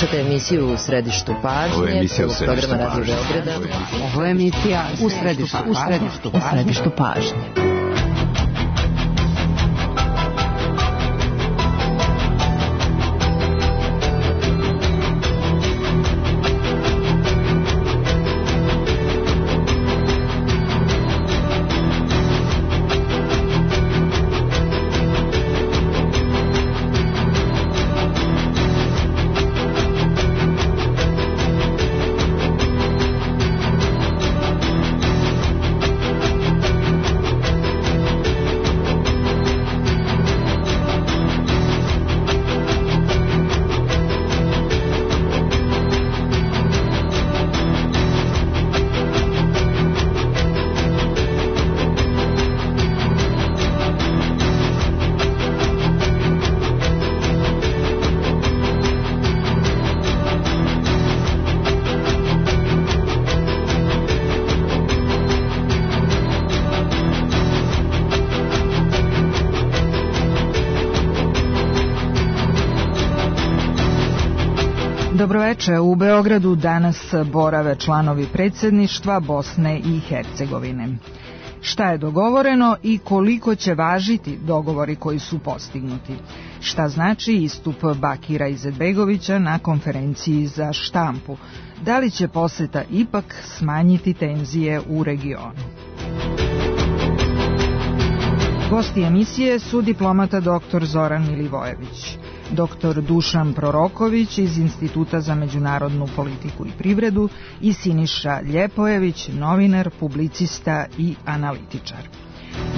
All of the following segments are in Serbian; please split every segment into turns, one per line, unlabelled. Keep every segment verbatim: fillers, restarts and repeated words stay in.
Slušajte emisiju U središtu pažnje.
Ovo je emisija U središtu
programa Radio
pažnje.
Beograda.
Ovo je emisija U središtu, u središtu, u središtu pažnje.
Dobroveče, u Beogradu danas borave članovi predsjedništva Bosne i Hercegovine. Šta je dogovoreno i koliko će važiti dogovori koji su postignuti? Šta znači istup Bakira Izetbegovića na konferenciji za štampu? Da li će poseta ipak smanjiti tenzije u regionu? Gosti emisije su diplomata doktor Zoran Milivojević, doktor Dušan Proroković iz Instituta za međunarodnu politiku i privredu i Siniša Ljepojević, novinar, publicista i analitičar.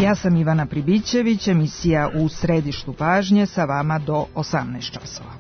Ja sam Ivana Pribićević, emisija U središtu pažnje sa vama do osamnaest časova.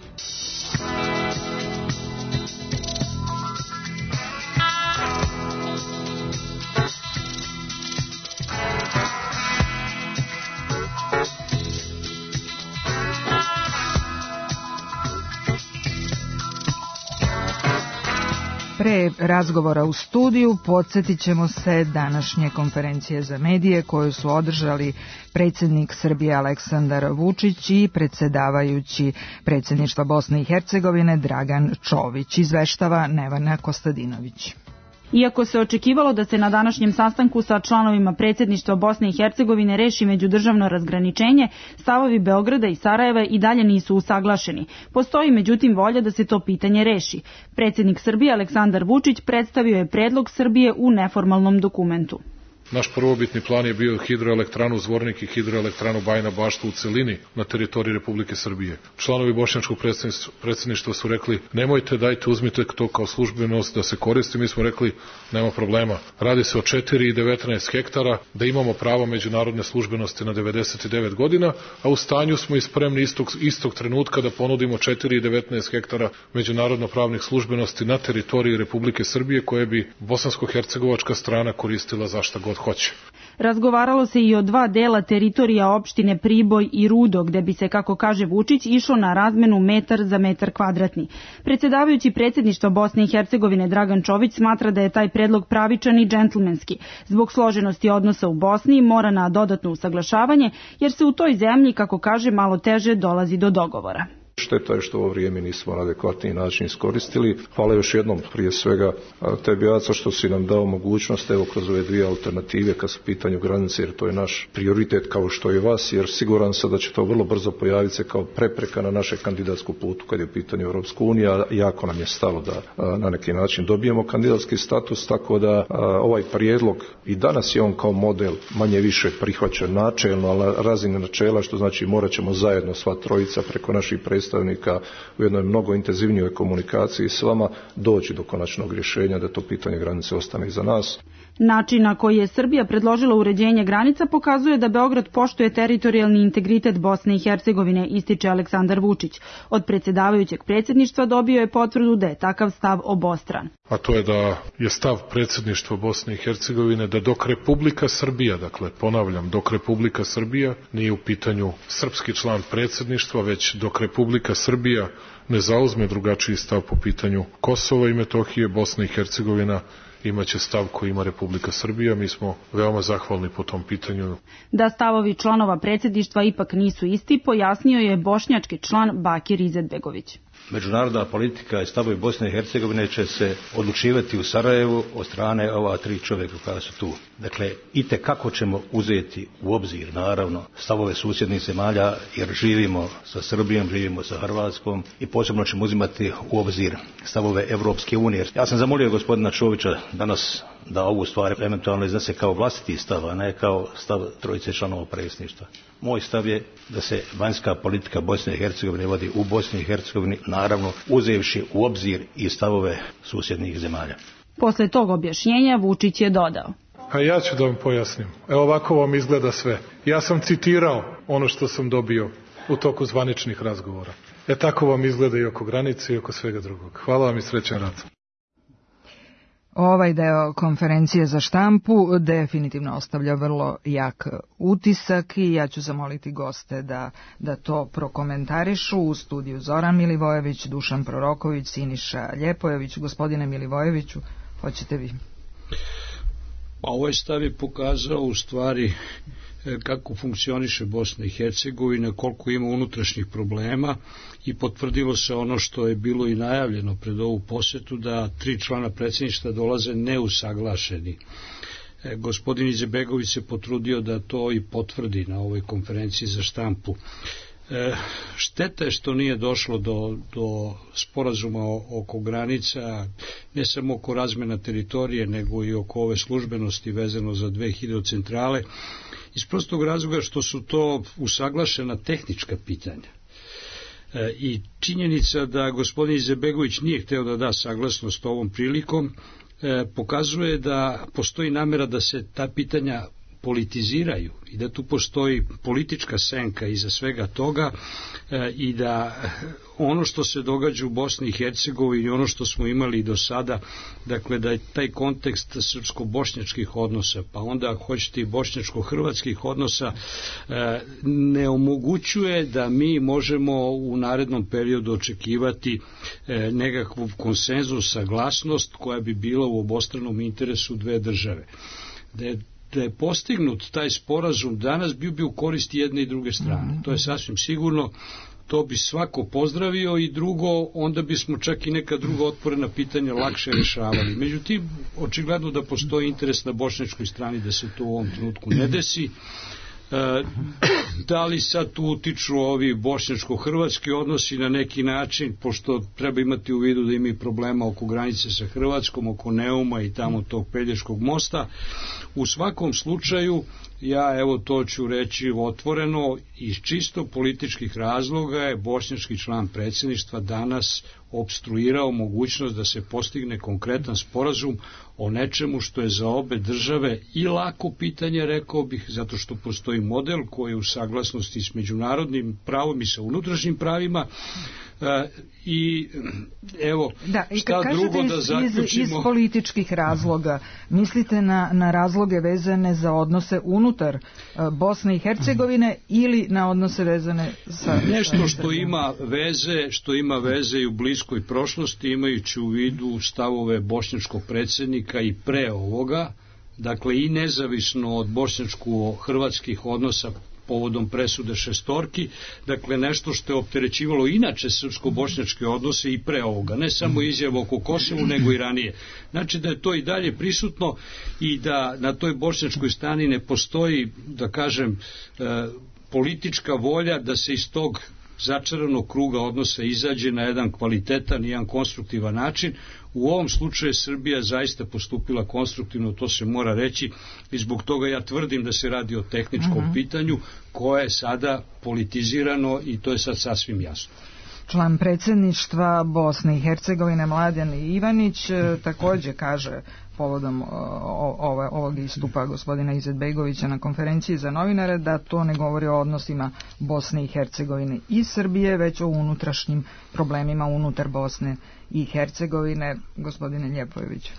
Pre razgovora u studiju podsjetit ćemo se današnje konferencije za medije koju su održali predsjednik Srbije Aleksandar Vučić i predsjedavajući predsjedništva Bosne i Hercegovine Dragan Čović. Izveštava Nevena Kostadinović.
Iako se očekivalo da se na današnjem sastanku sa članovima predsjedništva Bosne i Hercegovine reši međudržavno razgraničenje, stavovi Beograda i Sarajeva i dalje nisu usaglašeni. Postoji međutim volja da se to pitanje reši. Predsjednik Srbije Aleksandar Vučić predstavio je predlog Srbije u neformalnom dokumentu.
Naš prvobitni plan je bio hidroelektranu Zvornik i hidroelektranu Bajina Bašta u celini na teritoriji Republike Srbije. Članovi bošnjačkog predsjedništva su rekli nemojte, dajte, uzmite to kao službenost da se koristi. Mi smo rekli nema problema. Radi se o četiri i devetnaest hektara, da imamo pravo međunarodne službenosti na devedeset devet godina, a u stanju smo i spremni istog, istog trenutka da ponudimo četiri i devetnaest hektara međunarodno pravnih službenosti na teritoriji Republike Srbije koje bi bosansko-hercegovačka strana koristila za šta god hoće.
Razgovaralo se i o dva dela teritorija opštine Priboj i Rudo, gde bi se, kako kaže Vučić, išlo na razmenu metar za metar kvadratni. Predsjedavajući predsjedništva Bosne i Hercegovine Dragan Čović smatra da je taj predlog pravičan i džentlmenski. Zbog složenosti odnosa u Bosni mora na dodatno usaglašavanje, jer se u toj zemlji, kako kaže, malo teže dolazi do dogovora.
Šteta je što ovo vrijeme nismo na adekvatniji način iskoristili. Hvala još jednom prije svega tebi, Aca, što si nam dao mogućnost evo kroz ove dvije alternative kad su pitanju granice, jer to je naš prioritet kao što je vas, jer siguran sam da će to vrlo brzo pojaviti se kao prepreka na naše kandidatsku putu kad je u pitanju Europska unija. Jako nam je stalo da na neki način dobijemo kandidatski status, tako da ovaj prijedlog i danas je on kao model manje više prihvaćen načelno, ali razine načela, što znači morat ćemo zajedno sva trojica preko naših predstavnika u jednoj mnogo intenzivnijoj komunikaciji s vama doći do konačnog rješenja da to pitanje granice ostane iza nas.
Način na koji je Srbija predložila uređenje granica pokazuje da Beograd poštuje teritorijalni integritet Bosne i Hercegovine, ističe Aleksandar Vučić. Od predsjedavajućeg predsjedništva dobio je potvrdu da je takav stav obostran.
A to je da je stav predsjedništva Bosne i Hercegovine da dok Republika Srbija, dakle ponavljam, dok Republika Srbija nije u pitanju srpski član predsjedništva, već dok Republika Srbija ne zauzme drugačiji stav po pitanju Kosova i Metohije, Bosna i Hercegovina imaće stav koji ima Republika Srbija. Mi smo veoma zahvalni po tom pitanju.
Da stavovi članova predsjedništva ipak nisu isti, pojasnio je bošnjački član Bakir Izetbegović.
međunarodna politika i stavovi Bosne i Hercegovine će se odlučivati u Sarajevu od strane ova tri čovjeka koja su tu. Dakle, itekako ćemo uzeti u obzir, naravno, stavove susjednih zemalja, jer živimo sa Srbijom, živimo sa Hrvatskom i posebno ćemo uzimati u obzir stavove Evropske unije. Ja sam zamolio gospodina Čovića danas da ovu stvar eventualno iznese kao vlastiti stav, a ne kao stav trojice članova predsjedništva. Moj stav je da se vanjska politika Bosne i Hercegovine vodi u Bosni i Hercegovini, naravno uzevši u obzir i stavove susjednih zemalja.
Posle tog objašnjenja Vučić je dodao:
A ja ću da vam pojasnim. Evo ovako vam izgleda sve. Ja sam citirao ono što sam dobio u toku zvaničnih razgovora. E tako vam izgleda i oko granice i oko svega drugog. Hvala vam i srećan rad.
Ovaj deo konferencije za štampu definitivno ostavlja vrlo jak utisak i ja ću zamoliti goste da, da to prokomentarišu. U studiju Zoran Milivojević, Dušan Proroković, Siniša Ljepojević. Gospodine Milivojeviću, hoćete vi?
Pa ovaj stav je pokazao u stvari kako funkcioniše Bosna i Hercegovina, koliko ima unutrašnjih problema i potvrdilo se ono što je bilo i najavljeno pred ovu posetu, da tri člana predsjedništva dolaze neusaglašeni. E, gospodin Izetbegović se potrudio da to i potvrdi na ovoj konferenciji za štampu. E, šteta je što nije došlo do, do sporazuma oko granica, ne samo oko razmjena teritorije, nego i oko ove službenosti vezano za dve hidrocentrale, iz prostog razloga što su to usaglašena tehnička pitanja. E, I činjenica da gospodin Izetbegović nije hteo da da saglasnost ovom prilikom, e, pokazuje da postoji namera da se ta pitanja politiziraju i da tu postoji politička senka iza svega toga e, i da ono što se događa u Bosni i Hercegovini, ono što smo imali do sada, dakle da je taj kontekst srpsko-bošnjačkih odnosa, pa onda ako hoćete i bošnjačko-hrvatskih odnosa, e, ne omogućuje da mi možemo u narednom periodu očekivati e, nekakvu konsenzus, saglasnost koja bi bila u obostranom interesu dve države. Da je da je postignut taj sporazum danas, bio bi u korist jedne i druge strane. To je sasvim sigurno, to bi svako pozdravio i drugo, onda bismo čak i neka druga otvorena pitanja lakše rješavali. Međutim, očigledno da postoji interes na bošnjačkoj strani da se to u ovom trenutku ne desi. E, da li sad tu utiču ovi bošnjačko-hrvatski odnosi na neki način, pošto treba imati u vidu da imaju problema oko granice sa Hrvatskom, oko Neuma i tamo tog Pelješkog mosta. U svakom slučaju, ja evo to ću reći otvoreno, iz čisto političkih razloga je bošnjački član predsjedništva danas opstruirao mogućnost da se postigne konkretan sporazum o nečemu što je za obe države i lako pitanje, rekao bih, zato što postoji model koji je u saglasnosti s međunarodnim pravom i sa unutrašnjim pravima. E, i evo,
da, i
šta drugo
iz,
da zaključimo.
Iz, iz političkih razloga, mislite na, na razloge vezane za odnose unutar uh, Bosne i Hercegovine ili na odnose vezane sa...
Nešto što ima veze, što ima veze i u bliskoj prošlosti, imajući u vidu stavove bošnjačkog predsjednika i pre ovoga, dakle i nezavisno od bošnjačko-hrvatskih odnosa povodom presude šestorki, dakle nešto što je opterećivalo inače srpsko-bošnjačke odnose i pre ovoga, ne samo izjava oko Kosovu, nego i ranije. Znači da je to i dalje prisutno i da na toj bošnjačkoj strani ne postoji, da kažem, e, politička volja da se iz tog začaranog kruga odnosa izađe na jedan kvalitetan i jedan konstruktivan način. U ovom slučaju Srbija zaista postupila konstruktivno, to se mora reći, i zbog toga ja tvrdim da se radi o tehničkom uh-huh. pitanju koje je sada politizirano i to je sad sasvim jasno.
Član predsjedništva Bosne i Hercegovine Mladen Ivanić također kaže povodom ovog istupa gospodina Izetbegovića na konferenciji za novinare da to ne govori o odnosima Bosne i Hercegovine i Srbije, već o unutrašnjim problemima unutar Bosne i Hercegovine. Gospodine Ljepojević.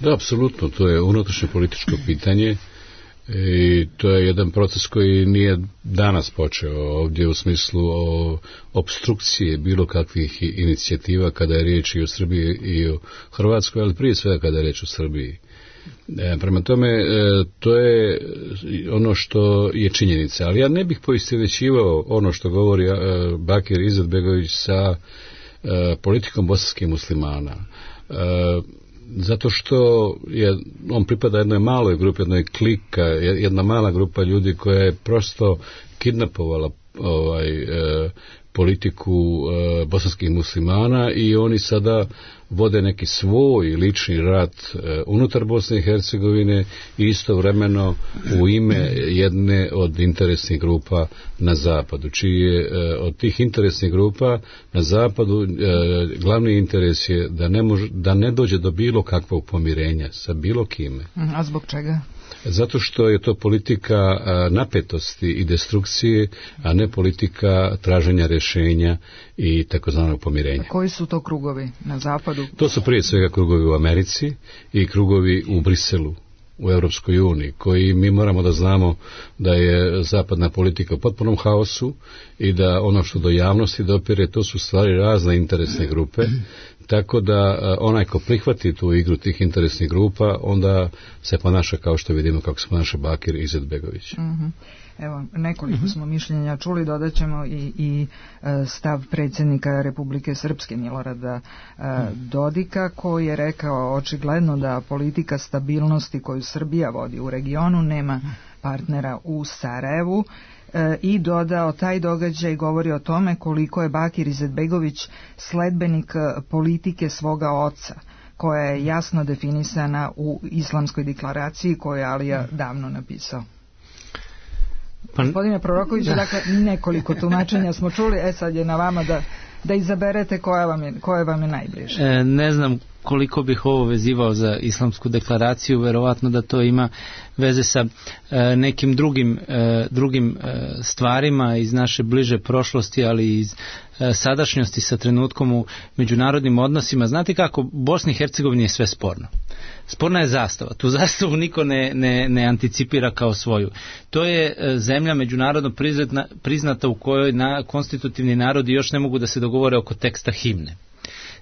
Da, apsolutno, to je unutrašnje političko pitanje i to je jedan proces koji nije danas počeo ovdje u smislu o opstrukcije bilo kakvih inicijativa kada je riječ i o Srbiji i o Hrvatskoj, ali prije svega kada je riječ o Srbiji. E, prema tome, e, to je ono što je činjenica, ali ja ne bih poistovjećivao ono što govori e, Bakir Izetbegović sa politikom bosanskih muslimana. Zato što je, on pripada jednoj maloj grupi, jednoj klika, jedna mala grupa ljudi koja je prosto kidnapovala ovaj, e, politiku e, bosanskih muslimana i oni sada vode neki svoj lični rat e, unutar Bosne i Hercegovine i istovremeno u ime jedne od interesnih grupa na zapadu, čiji je e, od tih interesnih grupa na zapadu e, glavni interes je da ne, može, da ne dođe do bilo kakvog pomirenja sa bilo kime.
A zbog čega?
Zato što je to politika napetosti i destrukcije, a ne politika traženja rješenja i takozvanog pomirenja.
A koji su to krugovi na zapadu?
To su prije svega krugovi u Americi i krugovi u Briselu, u Europskoj uniji, koji mi moramo da znamo da je zapadna politika u potpunom haosu i da ono što do javnosti dopire, to su stvari razne interesne grupe, tako da onaj ko prihvati tu igru tih interesnih grupa, onda se ponaša kao što vidimo kako se ponaša Bakir Izetbegović.
Uh-huh. Evo, nekoliko uh-huh. smo mišljenja čuli, dodat ćemo i, i stav predsjednika Republike Srpske Milorada uh-huh. Dodika, koji je rekao očigledno da politika stabilnosti koju Srbija vodi u regionu nema partnera u Sarajevu, i dodao taj događaj govori o tome koliko je Bakir Izetbegović sledbenik politike svoga oca, koja je jasno definisana u islamskoj deklaraciji koju je Alija davno napisao. Pa... Gospodine Prorokoviću, da. Dakle, nekoliko tumačenja smo čuli, e sad je na vama da, da izaberete koja vam je, koja vam je najbliže.
E, ne znam koliko bih ovo vezivao za islamsku deklaraciju, verovatno da to ima veze sa e, nekim drugim, e, drugim e, stvarima iz naše bliže prošlosti, ali i iz e, sadašnjosti sa trenutkom u međunarodnim odnosima. Znate kako, Bosni i Hercegovini je sve sporno. Sporna je zastava. Tu zastavu niko ne, ne, ne anticipira kao svoju. To je e, zemlja međunarodno priznata, priznata u kojoj na, konstitutivni narodi još ne mogu da se dogovore oko teksta himne.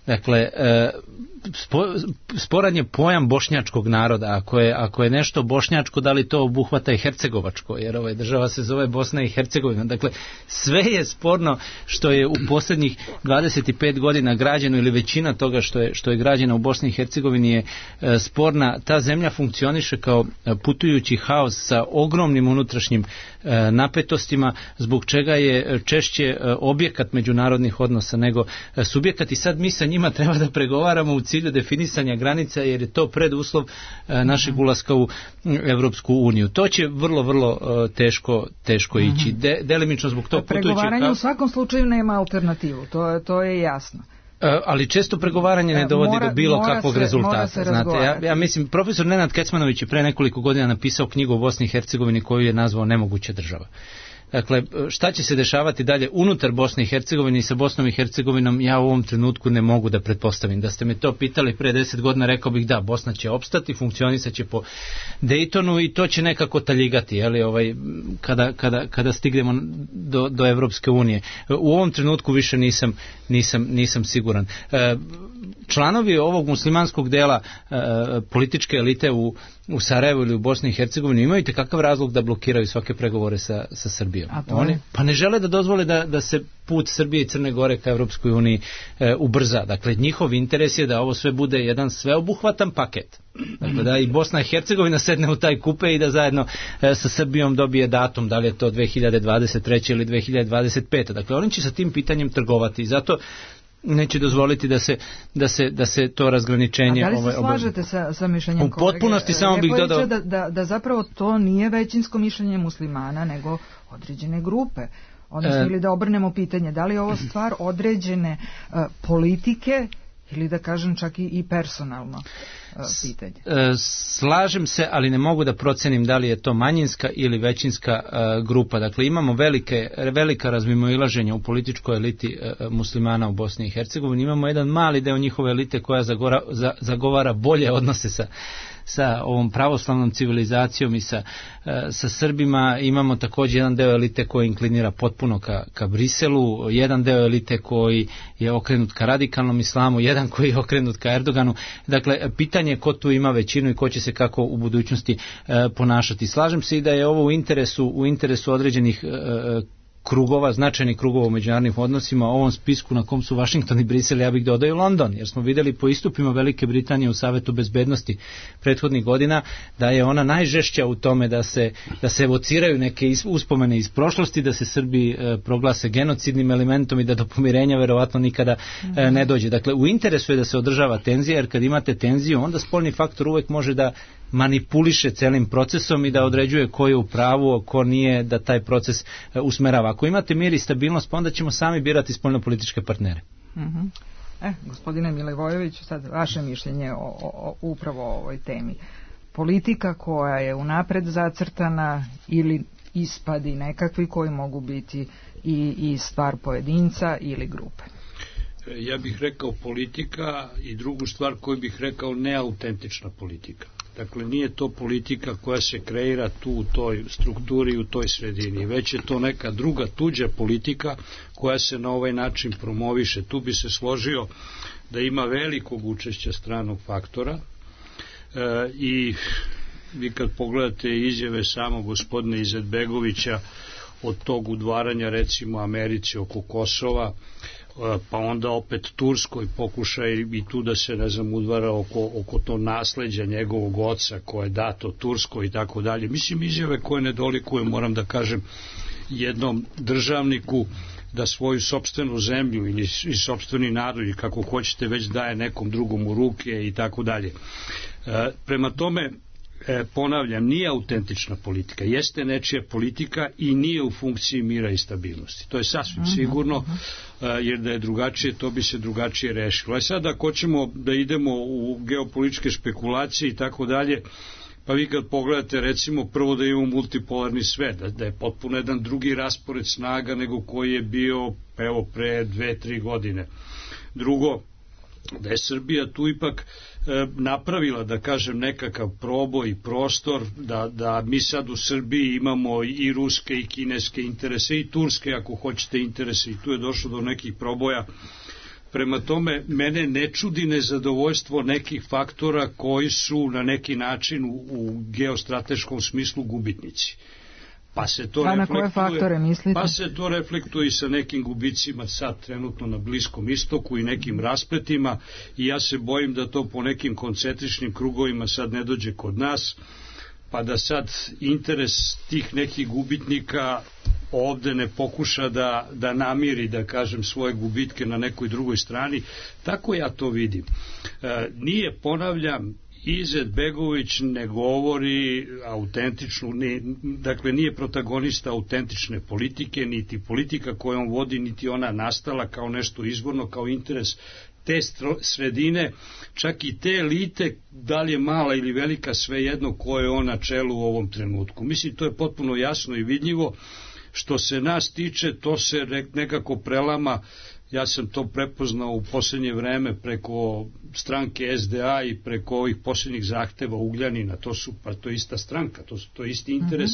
Dakle, spo, sporan je pojam bošnjačkog naroda. Ako je, ako je nešto bošnjačko, da li to obuhvata i hercegovačko, jer ova država se zove Bosna i Hercegovina. Dakle, sve je sporno što je u posljednjih dvadeset pet godina građeno, ili većina toga što je, što je građeno u Bosni i Hercegovini je sporna. Ta zemlja funkcioniše kao putujući haos sa ogromnim unutrašnjim napetostima, zbog čega je češće objekat međunarodnih odnosa nego subjekat, i sad mi sa njima treba da pregovaramo u cilju definisanja granica, jer je to preduslov našeg ulaska u Evropsku uniju. To će vrlo, vrlo teško, teško ići. De, delimično zbog tog putujućeg...
Pregovaranje u svakom slučaju nema alternativu, to, to je jasno.
Ali često pregovaranje ne dovodi
mora,
do bilo
mora
kakvog
se,
rezultata. Znate, ja, ja mislim, profesor Nenad Kecmanović je pre nekoliko godina napisao knjigu o Bosni i Hercegovini koju je nazvao Nemoguća država. Dakle, šta će se dešavati dalje unutar Bosne i Hercegovine i sa Bosnom i Hercegovinom, ja u ovom trenutku ne mogu da pretpostavim. Da ste me to pitali pre deset godina, rekao bih da, Bosna će opstati, funkcionisat će po Dejtonu i to će nekako taljigati, jeli, ovaj, kada, kada, kada stignemo do, do Evropske unije. U ovom trenutku više nisam, nisam, nisam siguran. E, članovi ovog muslimanskog dela e, političke elite u u Sarajevu ili u Bosni i Hercegovini imaju kakav razlog da blokiraju svake pregovore sa, sa Srbijom. Oni pa ne žele da dozvole da, da se put Srbije i Crne Gore ka Evropskoj uniji e, ubrza. Dakle, njihov interes je da ovo sve bude jedan sveobuhvatan paket. Dakle, da i Bosna i Hercegovina sedne u taj kupe i da zajedno e, sa Srbijom dobije datum, da li je to dve hiljade dvadeset treće ili dve hiljade dvadeset pete. Dakle, oni će sa tim pitanjem trgovati i zato neće dozvoliti da se, da se, da se to razgraničenje...
A da li se slažete sa, sa mišljenjem kolege?
U potpunosti samo bih dodao...
Da, da, da zapravo to nije većinsko mišljenje muslimana, nego određene grupe. Odnosno, e... ili da obrnemo pitanje, da li je ovo stvar određene uh, politike ili da kažem čak i, i personalno uh, pitanje?
E, slažem se, ali ne mogu da procenim da li je to manjinska ili većinska uh, grupa. Dakle, imamo velike, velika razmimoilaženja u političkoj eliti uh, muslimana u Bosni i Hercegovini. Imamo jedan mali deo njihove elite koja zagora, za, zagovara bolje odnose sa sa ovom pravoslavnom civilizacijom i sa, sa Srbima. Imamo također jedan deo elite koji inklinira potpuno ka, ka Briselu, jedan deo elite koji je okrenut ka radikalnom islamu, jedan koji je okrenut ka Erdoganu. Dakle, pitanje je ko tu ima većinu i ko će se kako u budućnosti e, ponašati. Slažem se i da je ovo u interesu, u interesu određenih e, krugova, značajnih krugova u međunarodnim odnosima, ovom spisku na kom su Vašington i Brisel, ja bih dodao i London, jer smo vidjeli po istupima Velike Britanije u Savetu bezbednosti prethodnih godina da je ona najžešća u tome da se, da se evociraju neke uspomene iz prošlosti, da se Srbi e, proglase genocidnim elementom i da do pomirenja verovatno nikada e, ne dođe. Dakle, u interesu je da se održava tenzija, jer kad imate tenziju, onda spoljni faktor uvek može da manipuliše celim procesom i da određuje ko je u pravu, ko nije, da taj proces e, usmerava. Ako imate mir i stabilnost, pa onda ćemo sami birati spoljnopolitičke partnere.
Uh-huh. E, gospodine Milivojeviću, sad vaše mišljenje o, o, o upravo o ovoj temi. Politika koja je unapred zacrtana ili ispadi nekakvi koji mogu biti i, i stvar pojedinca ili grupe?
Ja bih rekao politika i drugu stvar koju bih rekao neautentična politika. Dakle, nije to politika koja se kreira tu u toj strukturi, u toj sredini, već je to neka druga tuđa politika koja se na ovaj način promoviše. Tu bi se složio da ima velikog učešća stranog faktora e, i vi kad pogledate izjave samog gospodina Izetbegovića od tog udvaranja recimo Americi oko Kosova, pa onda opet Turskoj pokušaj i tu da se, ne znam, udvara oko, oko to nasleđa njegovog oca koje je dato Turskoj i tako dalje. Mislim, izjave koje ne dolikuju, moram da kažem, jednom državniku da svoju sopstvenu zemlju ili i sopstveni narod ili kako hoćete već daje nekom drugom u ruke i tako dalje. Prema tome, E, ponavljam, nije autentična politika, jeste nečija politika i nije u funkciji mira i stabilnosti. To je sasvim sigurno, e, jer da je drugačije, to bi se drugačije rešilo. A sad ako hoćemo da idemo u geopolitičke špekulacije i tako dalje, pa vi kad pogledate recimo prvo da imamo multipolarni svet, da, da je potpuno jedan drugi raspored snaga nego koji je bio evo pre dve, tri godine. Drugo, da je Srbija tu ipak e, napravila, da kažem, nekakav proboj i prostor, da, da mi sad u Srbiji imamo i ruske i kineske interese i turske, ako hoćete, interese, i tu je došlo do nekih proboja. Prema tome, mene ne čudi nezadovoljstvo nekih faktora koji su na neki način u, u geostrateškom smislu gubitnici. Pa se to
pa na koje faktore mislite?
Pa se to reflektuje i sa nekim gubicima sad trenutno na Bliskom istoku i nekim raspletima i ja se bojim da to po nekim koncentričnim krugovima sad ne dođe kod nas, pa da sad interes tih nekih gubitnika ovde ne pokuša da, da namiri, da kažem, svoje gubitke na nekoj drugoj strani. Tako ja to vidim. E, nije, ponavljam, Izetbegović ne govori autentičnu, ne, dakle nije protagonista autentične politike, niti politika koju on vodi, niti ona nastala kao nešto izvorno, kao interes te sredine, čak i te elite, da li je mala ili velika, svejedno koje je on na čelu u ovom trenutku. Mislim, to je potpuno jasno i vidljivo. Što se nas tiče, to se nekako prelama. Ja sam to prepoznao u posljednje vreme preko stranke S D A i preko ovih posljednjih zahteva Ugljanina. To su, pa to je ista stranka, to, to je isti interes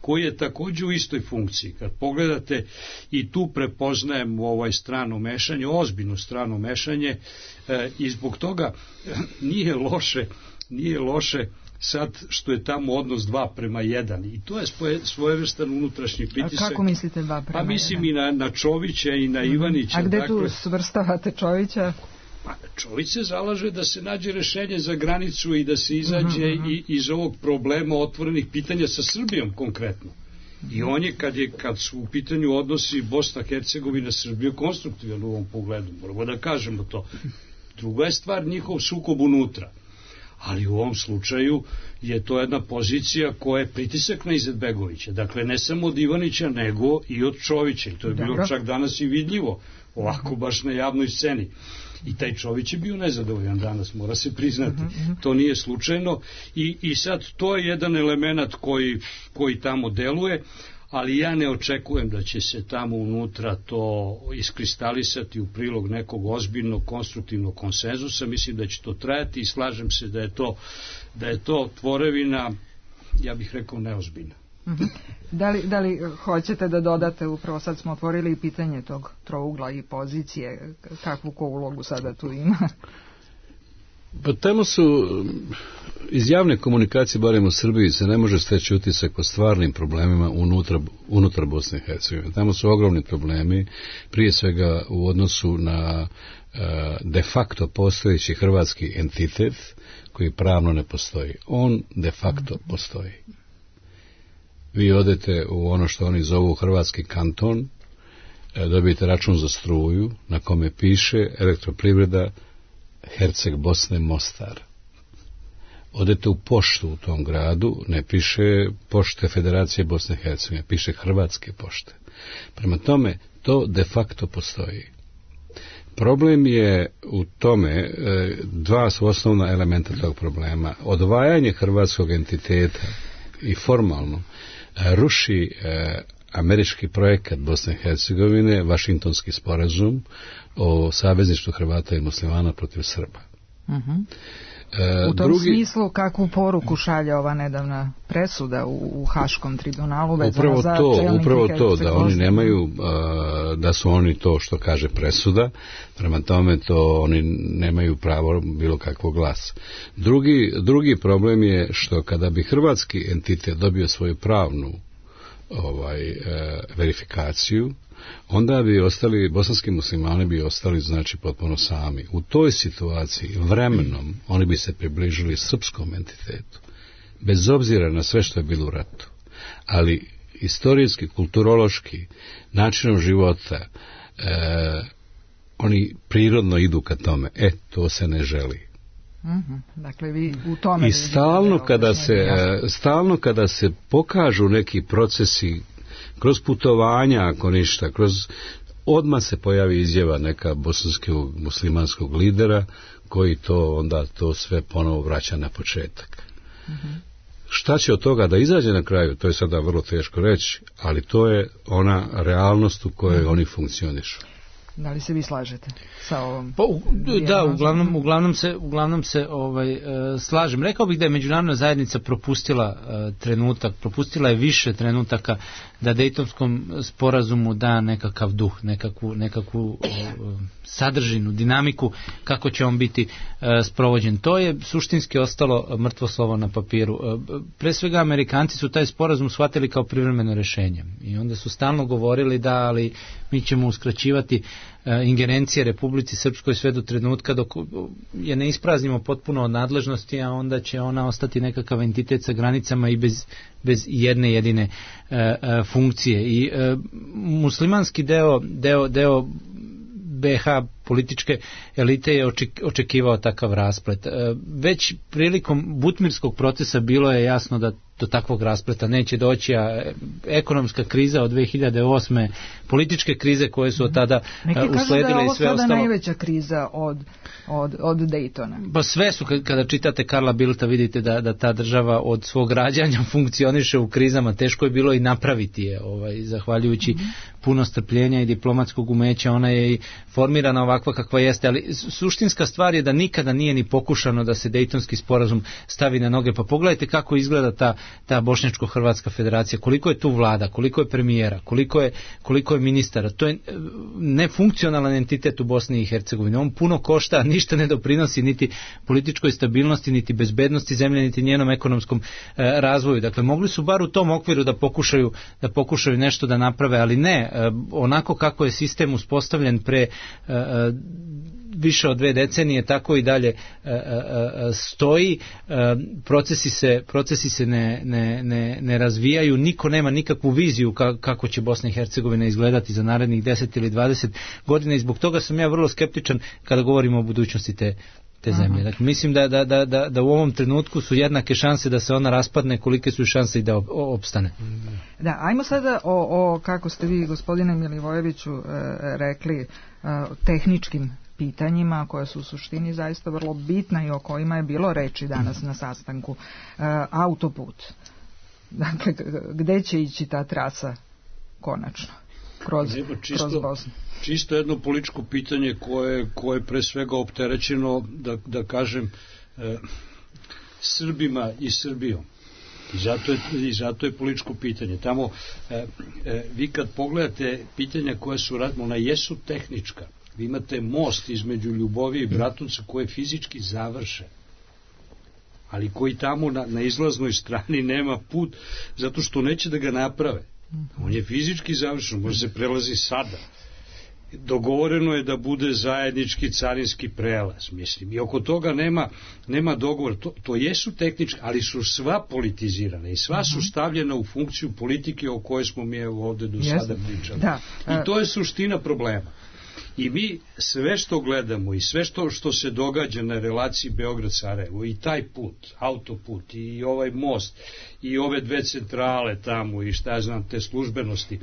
koji je također u istoj funkciji. Kad pogledate i tu prepoznajem ovaj strano mešanje, ozbiljno strano mešanje e, i zbog toga nije loše, nije loše sad što je tamo odnos dva prema jedan i to je svoje, svojevrstan unutrašnji pritisak.
A kako mislite dva prema jedan?
Pa mislim i na, na Čovića i na Ivanića.
A gde
dakle,
tu svrstavate Čovića?
Pa Čović se zalaže da se nađe rešenje za granicu i da se izađe uh-huh. i, iz ovog problema otvorenih pitanja sa Srbijom konkretno. I on je, kad, je, kad su u pitanju odnosi Bosna, Hercegovina, Srbija, konstruktivan u ovom pogledu, moramo da kažemo to. Druga je stvar njihov sukob unutra. Ali u ovom slučaju je to jedna pozicija koja je pritisak na Izetbegovića. Dakle, ne samo od Ivanića, nego i od Čovića. I to je bilo Dobro. čak danas i vidljivo, ovako baš na javnoj sceni. I taj Čović je bio nezadovoljan danas, mora se priznati. To nije slučajno. I, i sad to je jedan element koji, koji tamo deluje, ali ja ne očekujem da će se tamo unutra to iskristalisati u prilog nekog ozbiljnog konstruktivnog konsenzusa. Mislim da će to trajati i slažem se da je to, da je to tvorevina, ja bih rekao, neozbiljna.
Uh-huh. Da li, da li hoćete da dodate, upravo sad smo otvorili i pitanje tog trougla i pozicije, kakvu ko ulogu sada tu ima?
Pa tamo su, iz javne komunikacije, barem u Srbiji, se ne može steći utisak o stvarnim problemima unutra, unutar Bosne i Hercegovine. Tamo su ogromni problemi, prije svega u odnosu na de facto postojeći hrvatski entitet koji pravno ne postoji. On de facto postoji. Vi odete u ono što oni zovu hrvatski kanton, dobijete račun za struju na kome piše Elektroprivreda Herceg Bosne Mostar. Odete u poštu u tom gradu, ne piše Pošte Federacije Bosne i Hercegovine, piše Hrvatske pošte. Prema tome, to de facto postoji. Problem je u tome, dva su osnovna elementa tog problema. Odvajanje hrvatskog entiteta i formalno ruši američki projekat Bosne i Hercegovine, Vašingtonski sporazum o savezništvu Hrvata i Muslimana protiv Srba.
Uh-huh. U tom
Drugi,
smislu, kakvu poruku šalje ova nedavna presuda u, u Haškom tribunalu vezana
upravo
za
to,
čelnike
upravo to, da oni
Bosne?
nemaju, da su oni to što kaže presuda, prema tome to oni nemaju pravo bilo kakvog glasa. Drugi, drugi problem je što kada bi hrvatski entitet dobio svoju pravnu ovaj, e, verifikaciju, onda bi ostali, bosanski muslimani bi ostali znači potpuno sami. U toj situaciji vremenom oni bi se približili srpskom entitetu, bez obzira na sve što je bilo u ratu. Ali istorijski, kulturološki, načinom života, e, oni prirodno idu ka tome. E, to se ne želi.
Uh-huh. Dakle, vi u tome...
I stalno kada se, stalno kada se pokažu neki procesi kroz putovanja, ako ništa, kroz odmah se pojavi izjava neka bosanskog muslimanskog lidera koji to onda to sve ponovo vraća na početak. Uh-huh. Šta će od toga da izađe na kraju, to je sada vrlo teško reći, ali to je ona realnost u kojoj uh-huh. oni funkcionišu.
Da li se vi slažete sa ovom?
Pa, u, da, uglavnom, uglavnom se, uglavnom se ovaj, e, slažem. Rekao bih da je međunarodna zajednica propustila e, trenutak, propustila je više trenutaka da Dejtonskom sporazumu da nekakav duh, nekakvu, nekakvu e, sadržinu, dinamiku, kako će on biti e, sprovođen. To je suštinski ostalo mrtvo slovo na papiru. E, pre svega Amerikanci su taj sporazum shvatili kao privremeno rješenje i onda su stalno govorili da, ali mi ćemo uskraćivati ingerencije Republici Srpskoj sve do trenutka dok je ne ispraznimo potpuno od nadležnosti, a onda će ona ostati nekakav entitet sa granicama i bez, bez jedne jedine e, funkcije. I e, muslimanski deo, deo, deo be ha političke elite je očekivao takav rasplet. Već prilikom Butmirskog procesa bilo je jasno da do takvog raspleta neće doći, a ekonomska kriza od dve hiljade osme, političke krize koje su od tada
neki
usledile i sve ostalo. Neki kažu da je ovo sada
najveća kriza od, od, od Daytona.
Pa sve su, kada čitate Karla Bildta vidite da, da ta država od svog rađanja funkcioniše u krizama, teško je bilo i napraviti je, ovaj, zahvaljujući mm-hmm. puno strpljenja i diplomatskog umeća, ona je i formirana ovakva kakva jeste, ali suštinska stvar je da nikada nije ni pokušano da se Dejtonski sporazum stavi na noge. Pa pogledajte kako izgleda ta, ta Bošnjačko-Hrvatska federacija, koliko je tu vlada, koliko je premijera, koliko je, koliko je ministara. To je nefunkcionalan entitet u Bosni i Hercegovini. On puno košta, ništa ne doprinosi niti političkoj stabilnosti, niti bezbednosti zemlje, niti njenom ekonomskom e, razvoju. Dakle, mogli su bar u tom okviru da pokušaju, da pokušaju nešto da naprave, ali ne, e, onako kako je sistem uspostavljen pre e, više od dve decenije, tako i dalje e, e, stoji, e, procesi se, procesi se ne, ne, ne, ne razvijaju, niko nema nikakvu viziju ka, kako će Bosna i Hercegovina izgledati za narednih deset ili dvadeset godina i zbog toga sam ja vrlo skeptičan kada govorimo o budućnosti te te zemlje. Dakle, mislim da, da, da, da, da u ovom trenutku su jednake šanse da se ona raspadne, kolike su šanse i da opstane.
Da, ajmo sada o, o kako ste vi, gospodine Milivojeviću, e, rekli, e, tehničkim pitanjima koja su u suštini zaista vrlo bitna i o kojima je bilo reči danas na sastanku. E, autoput. Dakle, gde će ići ta trasa konačno? Kroz,
čisto,
kroz Bosnu.
Čisto jedno političko pitanje koje, koje je pre svega opterećeno, da, da kažem, e, Srbima i Srbijom. I zato je, i zato je političko pitanje. Tamo, e, e, vi kad pogledate pitanja koja su radimo, ona jesu tehnička, Vi imate most između Ljubovije i Bratunca koji je fizički završen, ali koji tamo na, na izlaznoj strani nema put, zato što neće da ga naprave. On je fizički završen, može se prelazi sada. Dogovoreno je da bude zajednički carinski prelaz, mislim, i oko toga nema, nema dogovor. To, to jesu tehnički, ali su sva politizirane i sva su stavljena u funkciju politike o kojoj smo mi evo ovde do sada pričali. Da. I to je suština problema. I mi sve što gledamo i sve što, što se događa na relaciji Beograd-Sarajevo, i taj put, autoput, i ovaj most, i ove dve centrale tamo, i šta ja znam, te službenosti,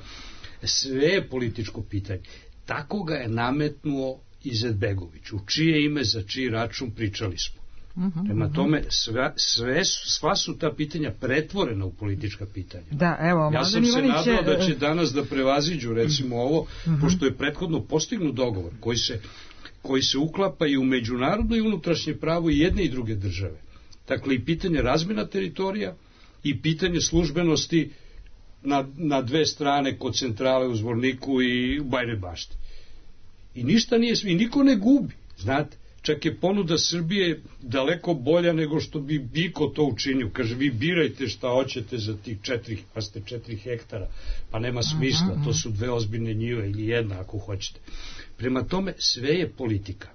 sve je političko pitanje. Tako ga je nametnuo Izetbegović, u čije ime, za čiji račun pričali smo. Uh-huh, Prema tome, sve, sve, sva su ta pitanja pretvorena u politička pitanja.
Da, evo,
ja sam se nadao da će danas da prevaziđu, recimo ovo, uh-huh. pošto je prethodno postignut dogovor koji se, koji se uklapa i u međunarodno i unutrašnje pravo i jedne i druge države. Dakle, i pitanje razmjena teritorija i pitanje službenosti Na, na dve strane kod centrale u Zvorniku i u Bajnoj Bašti. I ništa nije, i niko ne gubi, znate, čak je ponuda Srbije daleko bolja nego što bi Biko to učinio. Kaže, vi birajte šta hoćete za tih četiri, pa ste četiri hektara, pa nema smisla, to su dve ozbiljne njive ili jedna ako hoćete. Prema tome, sve je politika.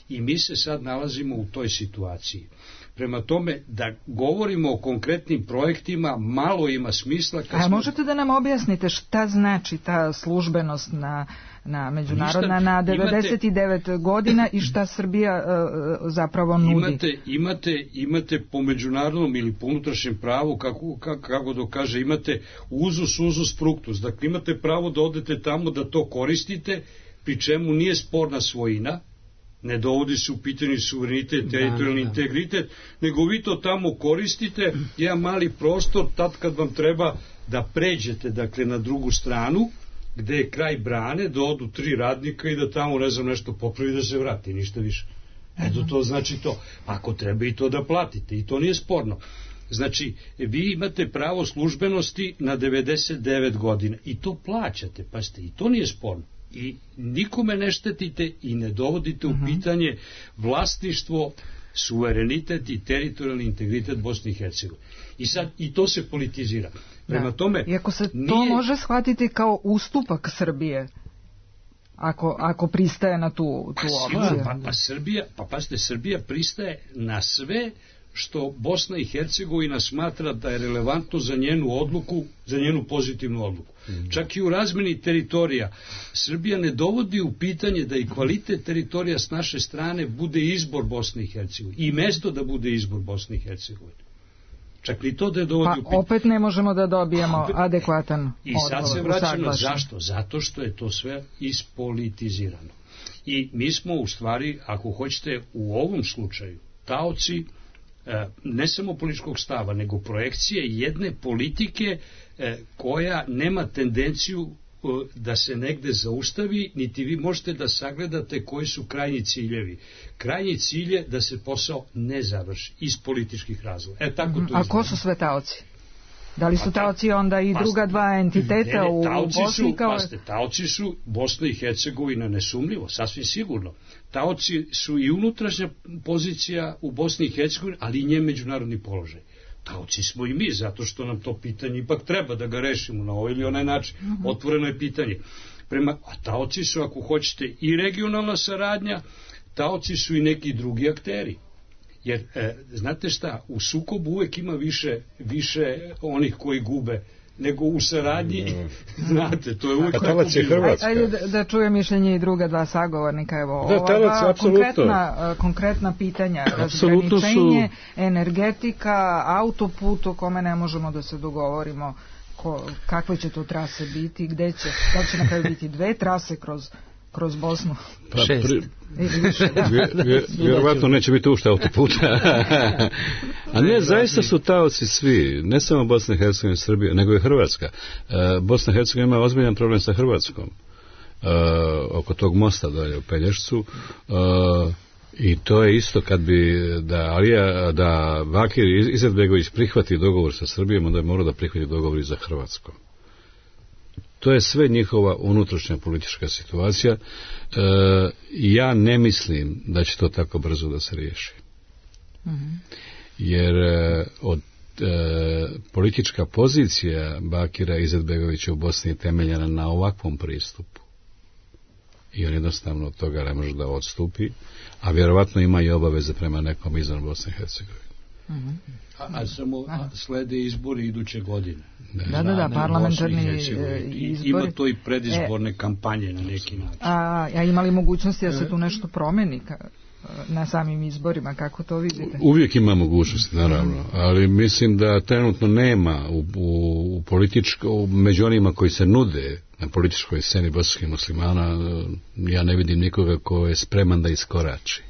I mi se sad nalazimo u toj situaciji. Prema tome, da govorimo o konkretnim projektima, malo ima smisla.
A smo... možete da nam objasnite šta znači ta službenost na, na međunarodna ništa, na devedeset devet imate, godina i šta Srbija uh, zapravo nudi?
Imate, imate, imate po međunarodnom ili po unutrašnjem pravu, kako, kako, kako da kaže, imate uzus, uzus, fructus. Dakle, imate pravo da odete tamo da to koristite, pri čemu nije sporna svojina, ne dovodi se u pitanje suverenitet, teritorijalni integritet, nego vi to tamo koristite, jedan mali prostor, tad kad vam treba da pređete, dakle, na drugu stranu, gde je kraj brane, da odu tri radnika i da tamo, ne znam, nešto popravi da se vrati, ništa više. Eto, to znači to. Ako treba i to da platite, i to nije sporno. Znači, vi imate pravo službenosti na devedeset devet godina i to plaćate, pazite, i to nije sporno. I nikome ne štetite i ne dovodite u pitanje vlasništvo, suverenitet i teritorijalni integritet Bosne i Hercegovine. I sad i to se politizira. Prema da. tome,
iako se
nije...
to može shvatiti kao ustupak Srbije, ako, ako pristaje na tu, tu opciju.
Pa, pa Srbija, pa pazite, Srbija pristaje na sve što Bosna i Hercegovina smatra da je relevantno za njenu odluku, za njenu pozitivnu odluku. Mm. Čak i u razmeni teritorija Srbija ne dovodi u pitanje da i kvalitet teritorija s naše strane bude izbor Bosne i Hercegovine i mesto da bude izbor Bosne i Hercegovine. Čak i to da je dovodi
pa
u pitanje.
Opet ne možemo da dobijemo opet, adekvatan odgovor.
I sad se vraćamo, zašto? Zato što je to sve ispolitizirano. I mi smo u stvari, ako hoćete, u ovom slučaju taoci ne samo političkog stava, nego projekcije jedne politike koja nema tendenciju da se negde zaustavi, niti vi možete da sagledate koji su krajnji ciljevi. Krajnji cilj je da se posao ne završi iz političkih razloga. E, tako to
A ko su sve taoci? Da li su taoci onda i druga dva entiteta ne, ne, u Bosni? Kao...
Paste, taoci su Bosna i Hercegovina nesumljivo, sasvim sigurno. Taoci su i unutrašnja pozicija u Bosni i Hercegovini, ali i njen međunarodni položaj. Taoci smo i mi, zato što nam to pitanje ipak treba da ga rešimo na ovaj ili onaj način. Uh-huh. Otvoreno je pitanje. Prema, a taoci su, ako hoćete, i regionalna saradnja, taoci su i neki drugi akteri. Jer, e, znate šta, u sukobu uvek ima više, više onih koji gube nego u saradnji, no. Znate, to je uvek tako
bilo.
Ajde da, da čuje mišljenje i druga dva sagovornika, evo, da, ova dva konkretna, konkretna pitanja, razgraničenje, su... energetika, autoput o kome ne možemo da se dogovorimo ko, kakve će to trase biti, gde će, da će na kraju biti dve trase kroz kroz Bosnu.
Pa, pri, vjerovatno neće biti ušte autoputa. A ne, zaista su taoci svi, ne samo Bosna i Hercegovina i Srbija, nego i Hrvatska. Bosna i Hercegovina ima ozbiljan problem sa Hrvatskom. Oko tog mosta dalje u Pelješcu. I to je isto kad bi da Alija, da Bakir Izetbegović prihvati dogovor sa Srbijom, onda je morao da prihvati dogovor i za Hrvatskom. To je sve njihova unutrašnja politička situacija. E, ja ne mislim da će to tako brzo da se riješi. Mm-hmm. Jer e, od e, politička pozicija Bakira Izetbegovića u Bosni je temeljena na ovakvom pristupu. I on jednostavno od toga ne može da odstupi, a vjerovatno ima i obaveze prema nekom izvan Bosne i Hercegovine.
Mm-hmm. A, a samo a slede izbori iduće godine.
Da, da, da, parlamentarni izbori.
Ima to i predizborne e, kampanje na neki način.
A, a ima li mogućnosti da se tu nešto promeni na samim izborima, kako to vidite?
Uvijek ima mogućnosti, naravno, ali mislim da trenutno nema u, u, u političko, među onima koji se nude na političkoj sceni bosanskih muslimana, ja ne vidim nikoga ko je spreman da iskorači.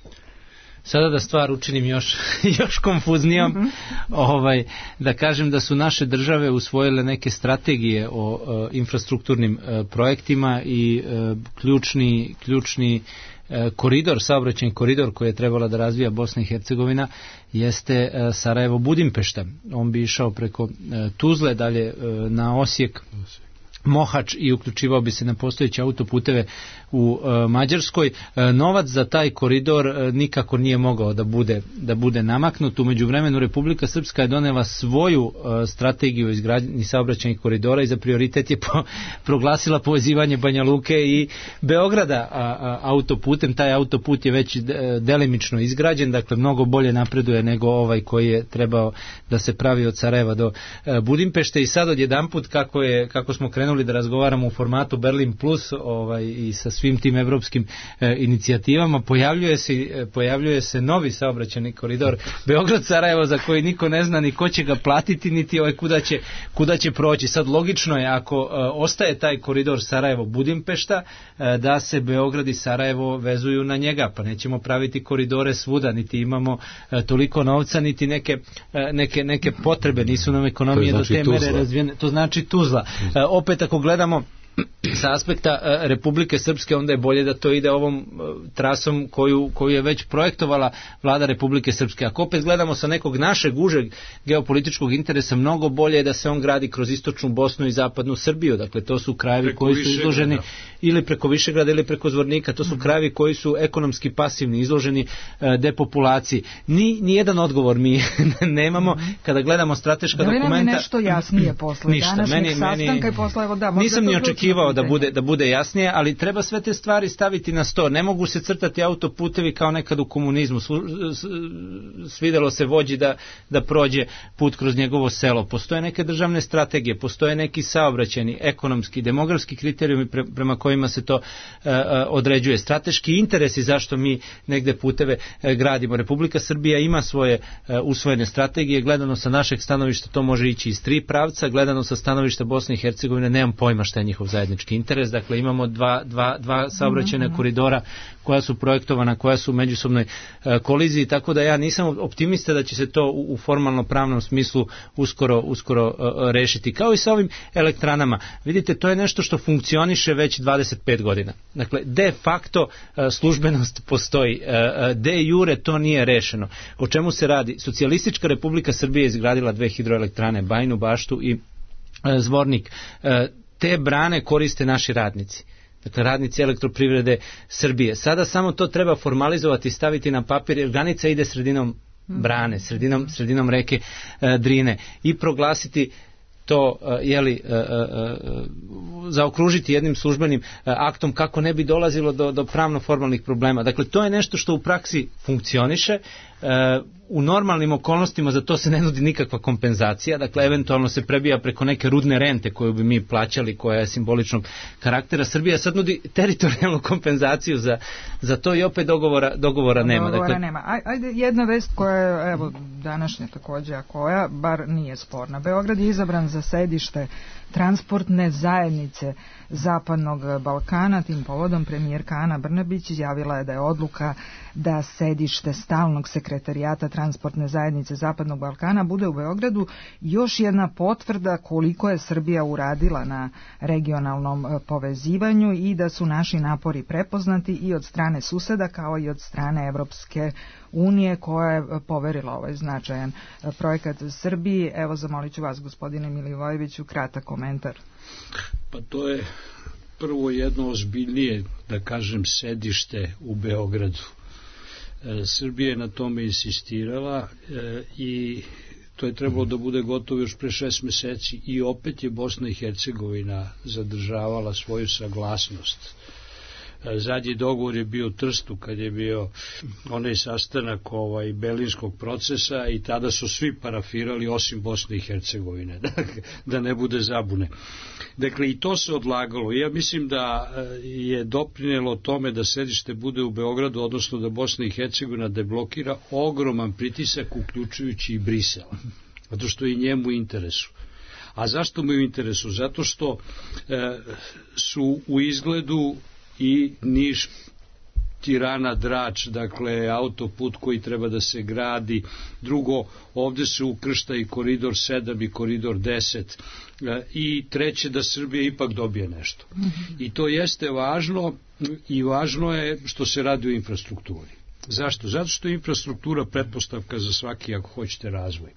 Sada da stvar učinim još, još konfuznijom, mm-hmm. ovaj, da kažem da su naše države usvojile neke strategije o, o infrastrukturnim e, projektima i e, ključni, ključni e, koridor, saobraćajni koridor koji je trebala da razvija Bosna i Hercegovina jeste e, Sarajevo-Budimpešta. On bi išao preko e, Tuzle, dalje e, na Osijek, Mohač i uključivao bi se na postojeće autoputeve u e, Mađarskoj. E, novac za taj koridor e, nikako nije mogao da bude, da bude namaknut. U međuvremenu Republika Srpska je donela svoju e, strategiju izgradnje saobraćajnih koridora i za prioritet je po, proglasila povezivanje Banja Luke i Beograda a, a, autoputem. Taj autoput je već de, delimično izgrađen, dakle mnogo bolje napreduje nego ovaj koji je trebao da se pravi od Sarajeva do e, Budimpešte. I sad odjedanput kako, je, kako smo krenuli da razgovaramo u formatu Berlin Plus ovaj, i sa svim tim evropskim e, inicijativama, pojavljuje se, e, pojavljuje se novi saobraćajni koridor Beograd-Sarajevo za koji niko ne zna ni ko će ga platiti, niti ovaj kuda će, kuda će proći. Sad logično je ako e, ostaje taj koridor Sarajevo-Budimpešta e, da se Beograd i Sarajevo vezuju na njega, pa nećemo praviti koridore svuda, niti imamo e, toliko novca, niti neke, e, neke, neke potrebe, nisu nam ekonomije znači do te Tuzla. Mere razvijene. To znači Tuzla. E, opet ako gledamo sa aspekta e, Republike Srpske, onda je bolje da to ide ovom e, trasom koju, koju je već projektovala vlada Republike Srpske. Ako opet gledamo sa nekog našeg užeg geopolitičkog interesa, mnogo bolje je da se on gradi kroz istočnu Bosnu i zapadnu Srbiju. Dakle, to su krajevi preko koji su izloženi ili preko Višegrada ili preko Zvornika. To su krajevi koji su ekonomski pasivni, izloženi e, depopulaciji. Ni, nijedan odgovor mi nemamo kada gledamo strateška da dokumenta. Da li nam je
nešto jasnije posle
ništa,
današnjeg
meni,
sastanka
meni,
i posle evo da,
nisam ni očekivao da bude, da bude jasnije, ali treba sve te stvari staviti na sto. Ne mogu se crtati autoputevi kao nekad u komunizmu. Svidelo se vođi da, da prođe put kroz njegovo selo. Postoje neke državne strategije, postoje neki saobraćajni, ekonomski, demografski kriterijumi pre, prema kojima se to uh, određuje. Strateški interesi zašto mi negde puteve uh, gradimo. Republika Srbija ima svoje uh, usvojene strategije. Gledano sa našeg stanovišta to može ići iz tri pravca. Gledano sa stanovišta Bosne i Hercegovine nemam pojma šta je njihov zajednički interes. Dakle, imamo dva, dva, dva saobraćajna mm-hmm. koridora koja su projektovana, koja su u međusobnoj e, koliziji, tako da ja nisam optimista da će se to u, u formalno pravnom smislu uskoro, uskoro e, rešiti. Kao i sa ovim elektranama. Vidite, to je nešto što funkcioniše već dvadeset pet godina. Dakle, de facto e, službenost postoji. E, de jure to nije rešeno. O čemu se radi? Socijalistička Republika Srbije izgradila dve hidroelektrane, Bajinu Baštu i e, Zvornik. E, te brane koriste naši radnici. Dakle, radnici Elektroprivrede Srbije. Sada samo to treba formalizovati, staviti na papir, jer granica ide sredinom brane, sredinom, sredinom reke e, Drine i proglasiti to jeli, e, e, zaokružiti jednim službenim e, aktom kako ne bi dolazilo do, do pravno formalnih problema. Dakle, to je nešto što u praksi funkcioniše. E, u normalnim okolnostima za to se ne nudi nikakva kompenzacija, dakle eventualno se prebija preko neke rudne rente koju bi mi plaćali, koja je simboličnog karaktera. Srbija sad nudi teritorijalnu kompenzaciju za, za to i opet dogovora, dogovora nema.
Dogovora
dakle,
nema. Ajde, jedna vest koja je, evo, današnja također, a koja bar nije sporna. Beograd je izabran za sedište transportne zajednice Zapadnog Balkana. Tim povodom premijerka Ana Brnabić izjavila je da je odluka da sedište stalnog sekretarijata transportne zajednice Zapadnog Balkana bude u Beogradu još jedna potvrda koliko je Srbija uradila na regionalnom povezivanju i da su naši napori prepoznati i od strane suseda kao i od strane Evropske unije koja je poverila ovaj značajan projekat Srbiji. Evo, zamolit ću vas, gospodine Milivojeviću, kratak komentar.
Pa to je prvo jedno ozbiljnije, da kažem, sedište u Beogradu. E, Srbija je na tome insistirala e, i to je trebalo da bude gotovo još pre šest meseci i opet je Bosna i Hercegovina zadržavala svoju saglasnost. Zadnji dogovor je bio u Trstu kad je bio onaj sastanak ovaj, Berlinskog procesa i tada su svi parafirali osim Bosne i Hercegovine, da ne bude zabune. Dakle, i to se odlagalo. Ja mislim da je doprinelo tome da sedište bude u Beogradu, odnosno da Bosna i Hercegovina deblokira ogroman pritisak, uključujući i Brisel, zato što je njemu u interesu. A zašto mu je u interesu? Zato što e, su u izgledu i Niš, Tirana, Drač, dakle autoput koji treba da se gradi. Drugo, ovde se ukršta i koridor sedam i koridor deset. I treće, da Srbija ipak dobije nešto. I to jeste važno i važno je što se radi o infrastrukturi. Zašto? Zato što je infrastruktura pretpostavka za svaki, ako hoćete, razvoj.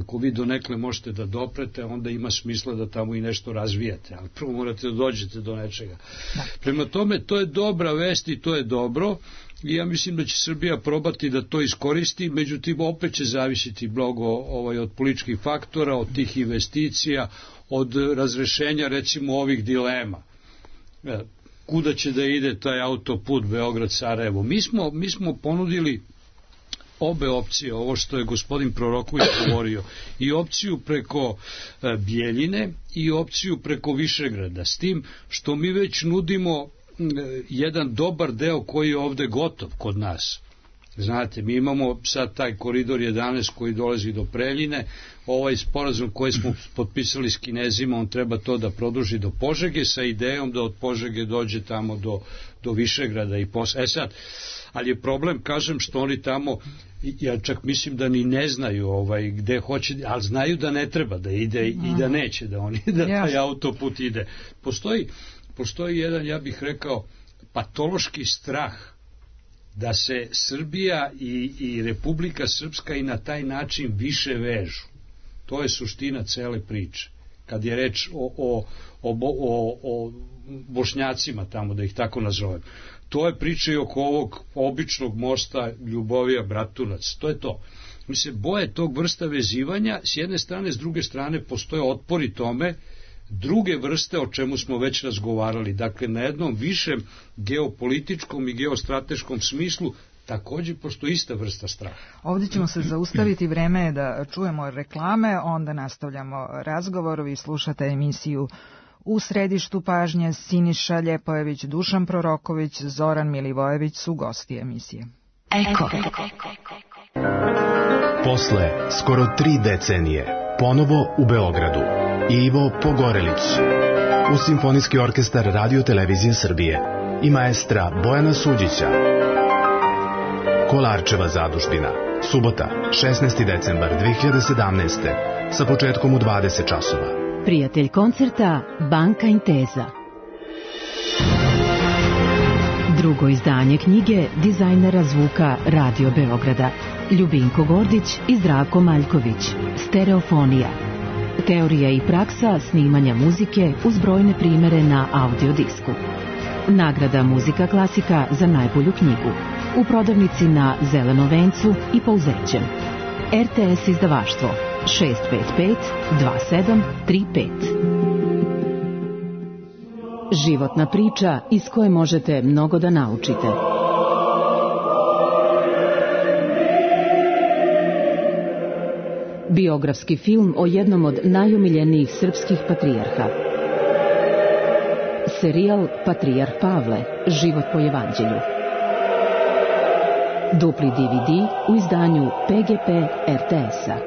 Ako vi donekle možete da doprete, onda ima smisla da tamo i nešto razvijate, ali prvo morate da dođete do nečega. Prema tome, to je dobra vest i to je dobro i ja mislim da će Srbija probati da to iskoristi, međutim opet će zavisiti mnogo ovaj, od političkih faktora, od tih investicija, od razrešenja recimo ovih dilema. Kuda će da ide taj autoput Beograd-Sarajevo? Mi smo, mi smo ponudili obe opcije, ovo što je gospodin Proroković govorio, i opciju preko e, Bjeljine i opciju preko Višegrada, s tim što mi već nudimo e, jedan dobar deo koji je ovde gotov kod nas. Znate, mi imamo sad taj koridor jedanaest koji dolazi do Preljine, ovaj sporazum koji smo potpisali s Kinezima, on treba to da produži do Požege sa idejom da od Požege dođe tamo do, do Višegrada i posle. E sad, ali je problem, kažem, što oni tamo, ja čak mislim da ni ne znaju ovaj, gde hoće, ali znaju da ne treba da ide i da neće da oni, da taj autoput ide. Postoji, postoji jedan, ja bih rekao, patološki strah da se Srbija i, i Republika Srpska i na taj način više vežu. To je suština cele priče. Kad je reč o, o, o, o, o Bošnjacima tamo, da ih tako nazovem. To je priča i oko ovog običnog mosta Ljubovija Bratunac. To je to. Mi se boje tog vrsta vezivanja, s jedne strane, s druge strane postoje otpori tome, druge vrste o čemu smo već razgovarali. Dakle, na jednom višem geopolitičkom i geostrateškom smislu takođe postoji ista vrsta straha.
Ovdje ćemo se zaustaviti, vreme je da čujemo reklame, onda nastavljamo razgovor. Vi slušate emisiju U središtu pažnje. Siniša Ljepojević, Dušan Proroković, Zoran Milivojević su gosti emisije.
Eko.
Posle skoro tri decenije, ponovo u Beogradu, Ivo Pogorelić, uz Simfonijski orkestar Radio Televizije Srbije i maestra Bojana Suđića. Kolarčeva zadužbina, subota, šesnaesti decembar dve hiljade sedamnaeste. sa početkom u dvadeset časova.
Prijatelj koncerta Banka Intesa. Drugo izdanje knjige dizajnera zvuka Radio Beograda Ljubinko Gordić i Zdravko Maljković. Stereofonija. Teorija i praksa snimanja muzike uz brojne primere na audiodisku. Nagrada Muzika klasika za najbolju knjigu. U prodavnici na Zelenom vencu i Pouzećem. R T S izdavaštvo šest pet pet dva sedam tri pet. Životna priča iz koje možete mnogo da naučite. Biografski film o jednom od najomiljenijih srpskih patrijarha. Serijal Patrijarh Pavle, život po evanđelju. Dupli D V D u izdanju P G P R T S-a.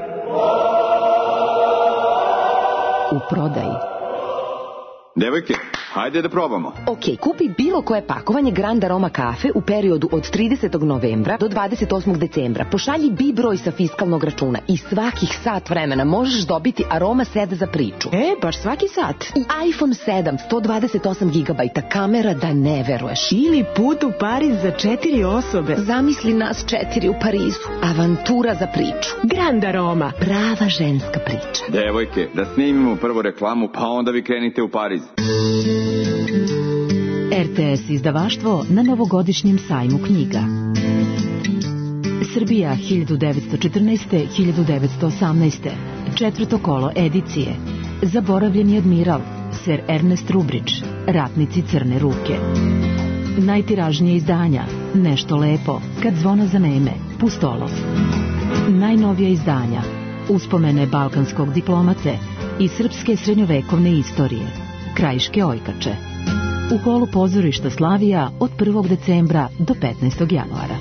U prodaji.
Devojke, Hajde da probamo.
Ok, kupi bilo koje pakovanje Grand Aroma kafe u periodu od tridesetog novembra do dvadeset osmog decembra. Pošalji B broj sa fiskalnog računa i svakih sat vremena možeš dobiti Aroma set za priču.
E, baš svaki sat.
I iPhone sedam, sto dvadeset osam gigabajta, kamera da ne veruješ.
Ili put u Pariz za četiri osobe.
Zamisli nas četiri u Parizu. Avantura za priču.
Grand Aroma.
Prava ženska priča.
Devojke, da snimimo prvo reklamu, pa onda vi krenite u Pariz.
R T S izdavaštvo na novogodišnjem sajmu knjiga. Srbija hiljadu devetsto četrnaeste do hiljadu devetsto osamnaeste. Četvrto kolo edicije. Zaboravljeni admiral, Sir Ernest Rubridge, Ratnici crne ruke. Najtiražnije izdanja, Nešto lepo, Kad zvona zaneme, Pustolov. Najnovija izdanja, Uspomene balkanskog diplomate i srpske srednjovekovne istorije, Krajiške ojkače. U holu pozorišta Slavija od prvog decembra do petnaestog januara.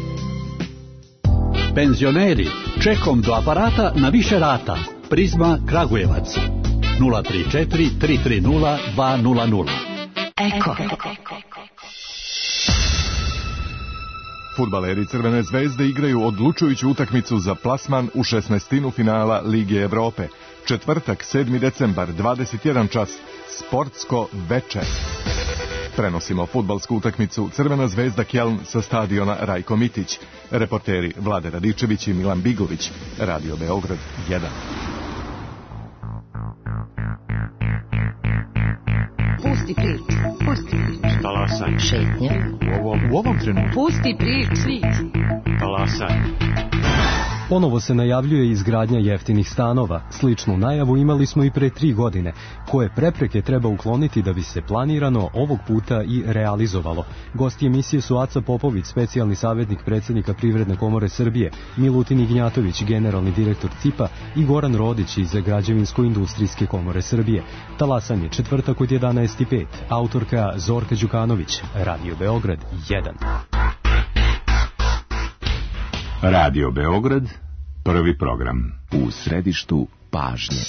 Penzioneri, čekom do aparata na više rata. Prizma Kragujevac. nula tri četiri tri tri nula dva nula nula.
Eko.
Fudbaleri Crvene zvezde igraju odlučujuću utakmicu za plasman u šesnaestinu finala Lige Evrope. Četvrtak, sedmi decembar, dvadeset jedan čas, sportsko veče. Prenosimo fudbalsku utakmicu Crvena zvezda Kjeln sa stadiona Rajko Mitić. Reporteri Vlade Radičević i Milan Bigović. Radio Beograd jedan.
Pusti priču, pusti priču.
Talasaj.
Šetnja.
U ovom, u ovom trenutku.
Pusti priču.
Talasaj.
Ponovo se najavljuje izgradnja jeftinih stanova. Sličnu najavu imali smo i pre tri godine. Koje prepreke treba ukloniti da bi se planirano ovog puta i realizovalo? Gosti emisije su Aca Popović, specijalni savjetnik predsjednika Privredne komore Srbije, Milutin Ignjatović, generalni direktor C I P-a i Goran Rodić iz Građevinsko-industrijske komore Srbije. Talasanje četvrtak od jedanaest i pet. Autorka Zorka Đukanović. Radio Beograd jedan.
Radio Beograd, prvi program. U središtu pažnje.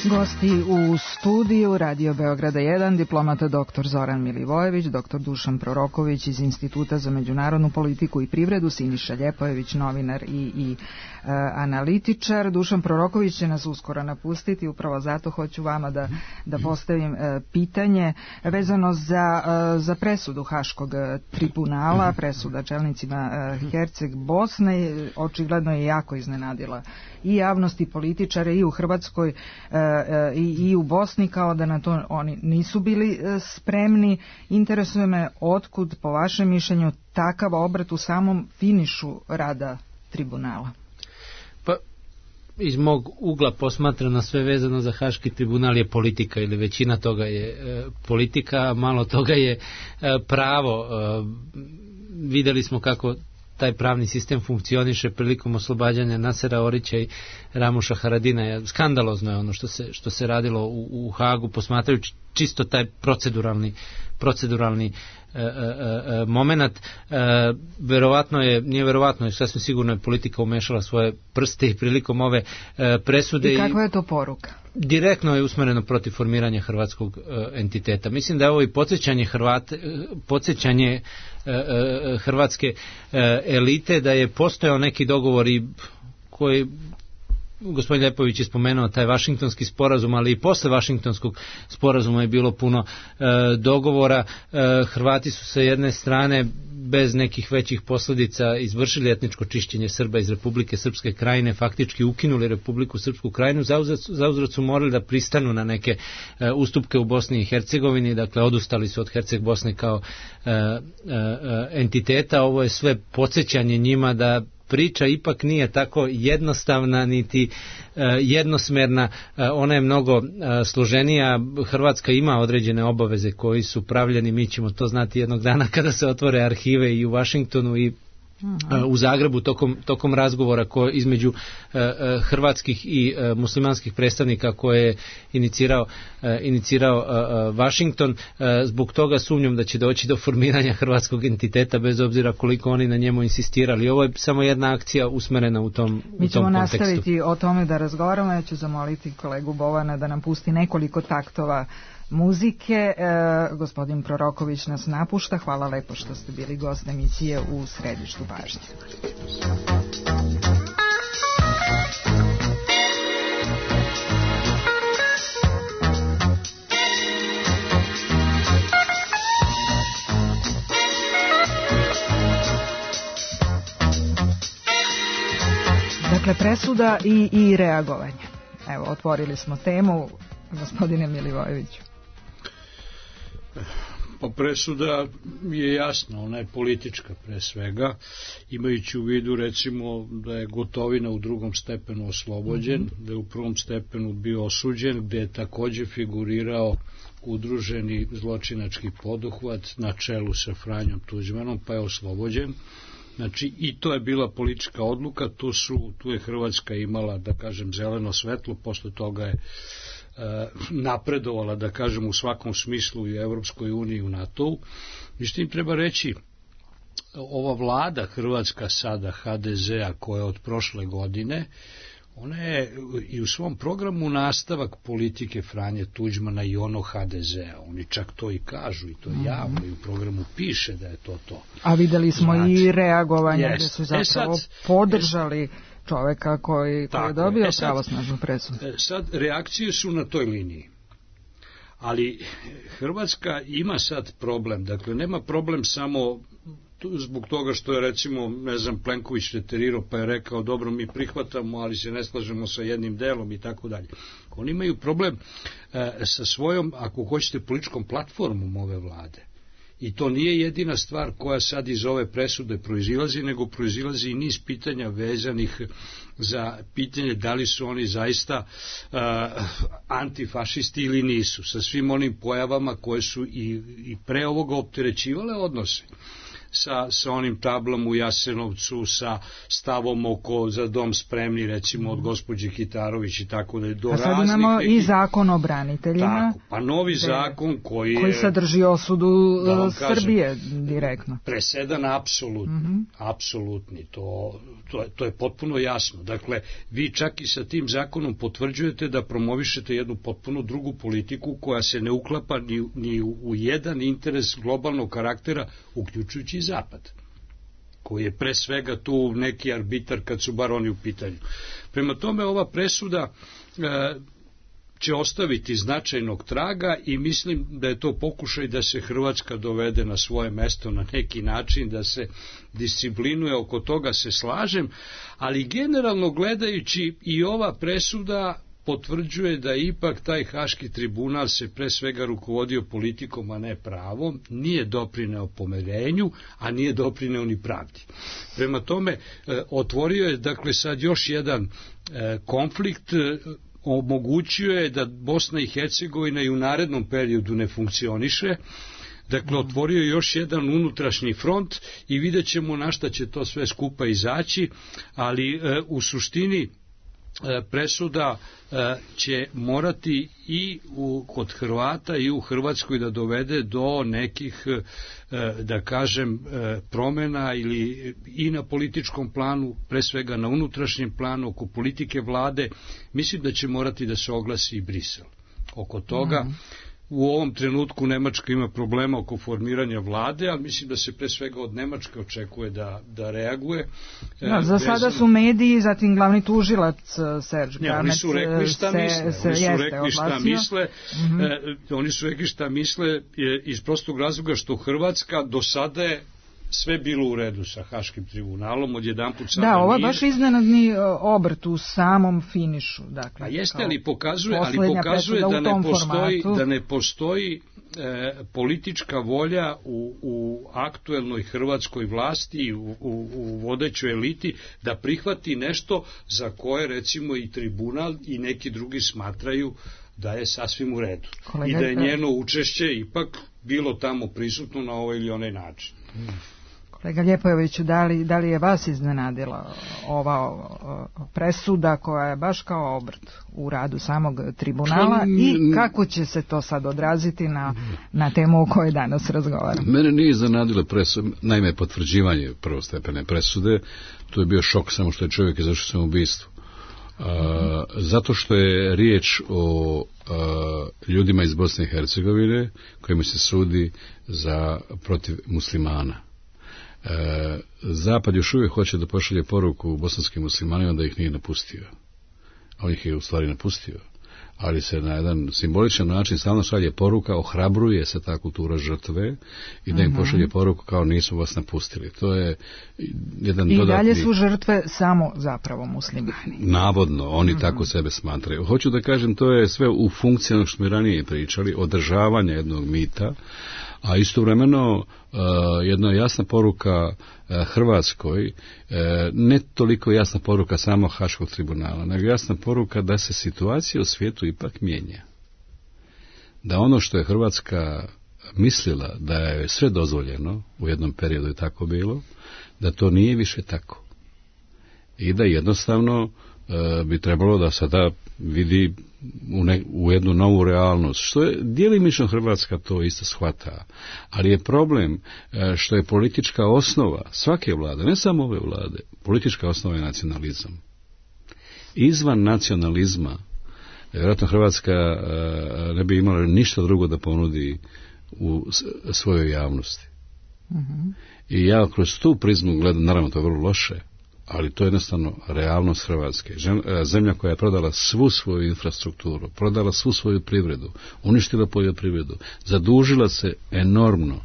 Gosti u studiju Radio Beograda jedan, diplomata doktor Zoran Milivojević, doktor Dušan Proroković iz Instituta za međunarodnu politiku i privredu, Siniša Ljepojević, novinar i, i e, analitičar. Dušan Proroković će nas uskoro napustiti, upravo zato hoću vama da, da postavim e, pitanje vezano za, e, za presudu Haškog tribunala, presuda čelnicima e, Herceg Bosne, očigledno je jako iznenadila i javnost i političare i u Hrvatskoj e, I, i u Bosni, kao da na to oni nisu bili spremni. Interesuje me otkud, po vašem mišljenju, takav obrat u samom finišu rada tribunala?
Pa, iz mog ugla posmatrano sve vezano za Haški tribunal je politika, ili većina toga je e, politika, malo toga je e, pravo. E, videli smo kako taj pravni sistem funkcioniše prilikom oslobađanja Nasera Orića i Ramuša Haradina. Skandalozno je ono što se, što se radilo u, u Hagu, posmatrajući čisto taj proceduralni, proceduralni e, e, e, moment. E, verovatno je, nije verovatno, je sasvim sigurno je politika umešala svoje prste i prilikom ove e, presude.
I kakva je to poruka?
Direktno je usmereno protiv formiranja hrvatskog e, entiteta. Mislim da je ovo i podsjećanje Hrvate, podsjećanje e, e, hrvatske e, elite, da je postojao neki dogovor i koji gospodin Ljepović je spomenuo taj Vašingtonski sporazum, ali i posle Vašingtonskog sporazuma je bilo puno e, dogovora. E, Hrvati su sa jedne strane bez nekih većih posljedica izvršili etničko čišćenje Srba iz Republike Srpske Krajine, faktički ukinuli Republiku Srpsku Krajinu, zauzvrat su morali da pristanu na neke e, ustupke u Bosni i Hercegovini, dakle odustali su od Herceg Bosne kao e, e, entiteta. Ovo je sve podsjećanje njima da priča ipak nije tako jednostavna niti e, jednosmerna, e, ona je mnogo e, složenija. Hrvatska ima određene obaveze koji su pravljeni, mi ćemo to znati jednog dana kada se otvore arhive i u Vašingtonu i u Zagrebu tokom, tokom razgovora ko, između uh, uh, hrvatskih i uh, muslimanskih predstavnika koje je inicirao, uh, inicirao uh, uh, Washington. Uh, zbog toga sumnjam da će doći do formiranja hrvatskog entiteta bez obzira koliko oni na njemu insistirali. Ovo je samo jedna akcija usmerena u tom, u tom kontekstu.
Mi ćemo nastaviti o tome da razgovaramo. Ja ću zamoliti kolegu Bovana da nam pusti nekoliko taktova muzike. E, gospodin Proroković nas napušta. Hvala lepo što ste bili gost emisije u Središtu pažnje. Dakle, presuda i, i reagovanje. Evo, otvorili smo temu. Gospodine Milivojeviću.
Pa presuda je jasna, ona je politička pre svega, imajući u vidu recimo da je Gotovina u drugom stepenu oslobođen, mm-hmm. da je u prvom stepenu bio osuđen, gde je takođe figurirao udruženi zločinački poduhvat na čelu sa Franjom Tuđmanom, pa je oslobođen. Znači, i to je bila politička odluka, tu, su, tu je Hrvatska imala, da kažem, zeleno svetlo, posle toga je napredovala, da kažem, u svakom smislu i u Evropskoj uniji i u NATO-u. Međutim, treba reći, ova vlada Hrvatska sada, ha de zea, koja je od prošle godine, ona je i u svom programu nastavak politike Franje Tuđmana i ono ha de zea. Oni čak to i kažu i to javno i u programu piše da je to to.
A videli smo znači, i reagovanje
jest.
gde su zapravo e sad, podržali čoveka koji, koji je dobio e sad, pravosnažnu presudu.
Sad, reakcije su na toj liniji. Ali Hrvatska ima sad problem. Dakle, nema problem samo zbog toga što je, recimo, ne znam, Plenković reterirao pa je rekao, dobro, mi prihvatamo, ali se ne slažemo sa jednim delom i tako dalje. Oni imaju problem e, sa svojom, ako hoćete, političkom platformom ove vlade. I to nije jedina stvar koja sad iz ove presude proizilazi, nego proizilazi i niz pitanja vezanih za pitanje da li su oni zaista uh, antifašisti ili nisu, sa svim onim pojavama koje su i, i pre ovoga opterećivale odnose. Sa, sa onim tablom u Jasenovcu, sa stavom oko za dom spremni, recimo od gospođe Kitarović i tako da je do raznih... A sad imamo
nekih... i zakon o braniteljima.
Tako, pa novi zakon koji je...
Koji sadrži osudu Srbije kažem, direktno.
Presedan apsolutni, mm-hmm. apsolutni, to, to, to je potpuno jasno. Dakle, vi čak i sa tim zakonom potvrđujete da promovišete jednu potpuno drugu politiku koja se ne uklapa ni, ni u, u jedan interes globalnog karaktera, uključujući Zapad, koji je pre svega tu neki arbitar kad su bar oni u pitanju. Prema tome, ova presuda e, će ostaviti značajnog traga i mislim da je to pokušaj da se Hrvatska dovede na svoje mesto na neki način, da se disciplinuje, oko toga se slažem, ali generalno gledajući i ova presuda potvrđuje da ipak taj Haški tribunal se pre svega rukovodio politikom, a ne pravom, nije doprineo pomirenju, a nije doprineo ni pravdi. Prema tome, otvorio je, dakle, sad još jedan konflikt, omogućio je da Bosna i Hercegovina i u narednom periodu ne funkcioniše. Dakle, otvorio je još jedan unutrašnji front i vidjet ćemo na šta će to sve skupa izaći, ali u suštini presuda će morati i u, kod Hrvata i u Hrvatskoj da dovede do nekih, da kažem, promena ili i na političkom planu, pre svega na unutrašnjem planu, oko politike vlade. Mislim da će morati da se oglasi i Brisel. Oko toga, mm. u ovom trenutku Nemačka ima problema oko formiranja vlade, ali mislim da se pre svega od Nemačke očekuje da, da reaguje.
Da, za sada su mediji, zatim glavni tužilac Serge Granec.
Oni su rekli šta
se,
misle.
Se
oni su
jeste,
rekli šta
odlasio.
misle. Mm-hmm. E, oni su rekli šta misle iz prostog razloga što Hrvatska do sada je sve bilo u redu sa Haškim tribunalom, odjedanput sada nije.
Da, ovo je baš iznenadni obrt u samom finišu. Dakle,
a jeste, ali pokazuje, ali pokazuje da ne postoji, da ne postoji e, politička volja u, u aktuelnoj hrvatskoj vlasti, u, u, u vodećoj eliti, da prihvati nešto za koje, recimo, i tribunal i neki drugi smatraju da je sasvim u redu. Kolega, i da je njeno učešće ipak bilo tamo prisutno na ovaj ili onaj način.
Kolega Ljepojeviću, da li, da li je vas iznenadila ova presuda koja je baš kao obrt u radu samog tribunala i kako će se to sad odraziti na, na temu o kojoj danas razgovaramo?
Mene nije iznenadila presuda, naime potvrđivanje prvostepene presude, to je bio šok samo što je čovjek izvršio samoubistvo. Uh, zato što je riječ o uh, ljudima iz Bosne i Hercegovine kojima se sudi za protiv muslimana. Uh, Zapad još uvijek hoće da pošalje poruku bosanskim muslimanima da ih nije napustio. On ih je u stvari napustio. Ali se na jedan simboličan način stalno šalje poruka, ohrabruje se ta kultura žrtve i da im pošalje poruku kao nisu vas napustili. To je jedan
I
dodatni...
dalje su žrtve samo zapravo muslimani.
Navodno, oni mm-hmm. tako sebe smatraju. Hoću da kažem, to je sve u funkciji ono što smo ranije pričali, održavanja jednog mita, a istovremeno uh, jedna jasna poruka uh, Hrvatskoj, uh, ne toliko jasna poruka samo Haškog tribunala, nego jasna poruka da se situacija u svijetu ipak mijenja. Da ono što je Hrvatska mislila da je sve dozvoljeno, u jednom periodu je tako bilo, da to nije više tako. I da jednostavno uh, bi trebalo da sada vidi u, ne, u jednu novu realnost, što je djelimično Hrvatska to isto shvata, ali je problem što je politička osnova svake vlade, ne samo ove vlade, politička osnova je nacionalizam. Izvan nacionalizma vjerojatno Hrvatska ne bi imala ništa drugo da ponudi u svojoj javnosti. Mm-hmm. I ja kroz tu prizmu gledam, naravno to je vrlo loše, ali to je jednostavno realnost Hrvatske. Zemlja koja je prodala svu svoju infrastrukturu, prodala svu svoju privredu, uništila poljoprivredu, zadužila se enormno.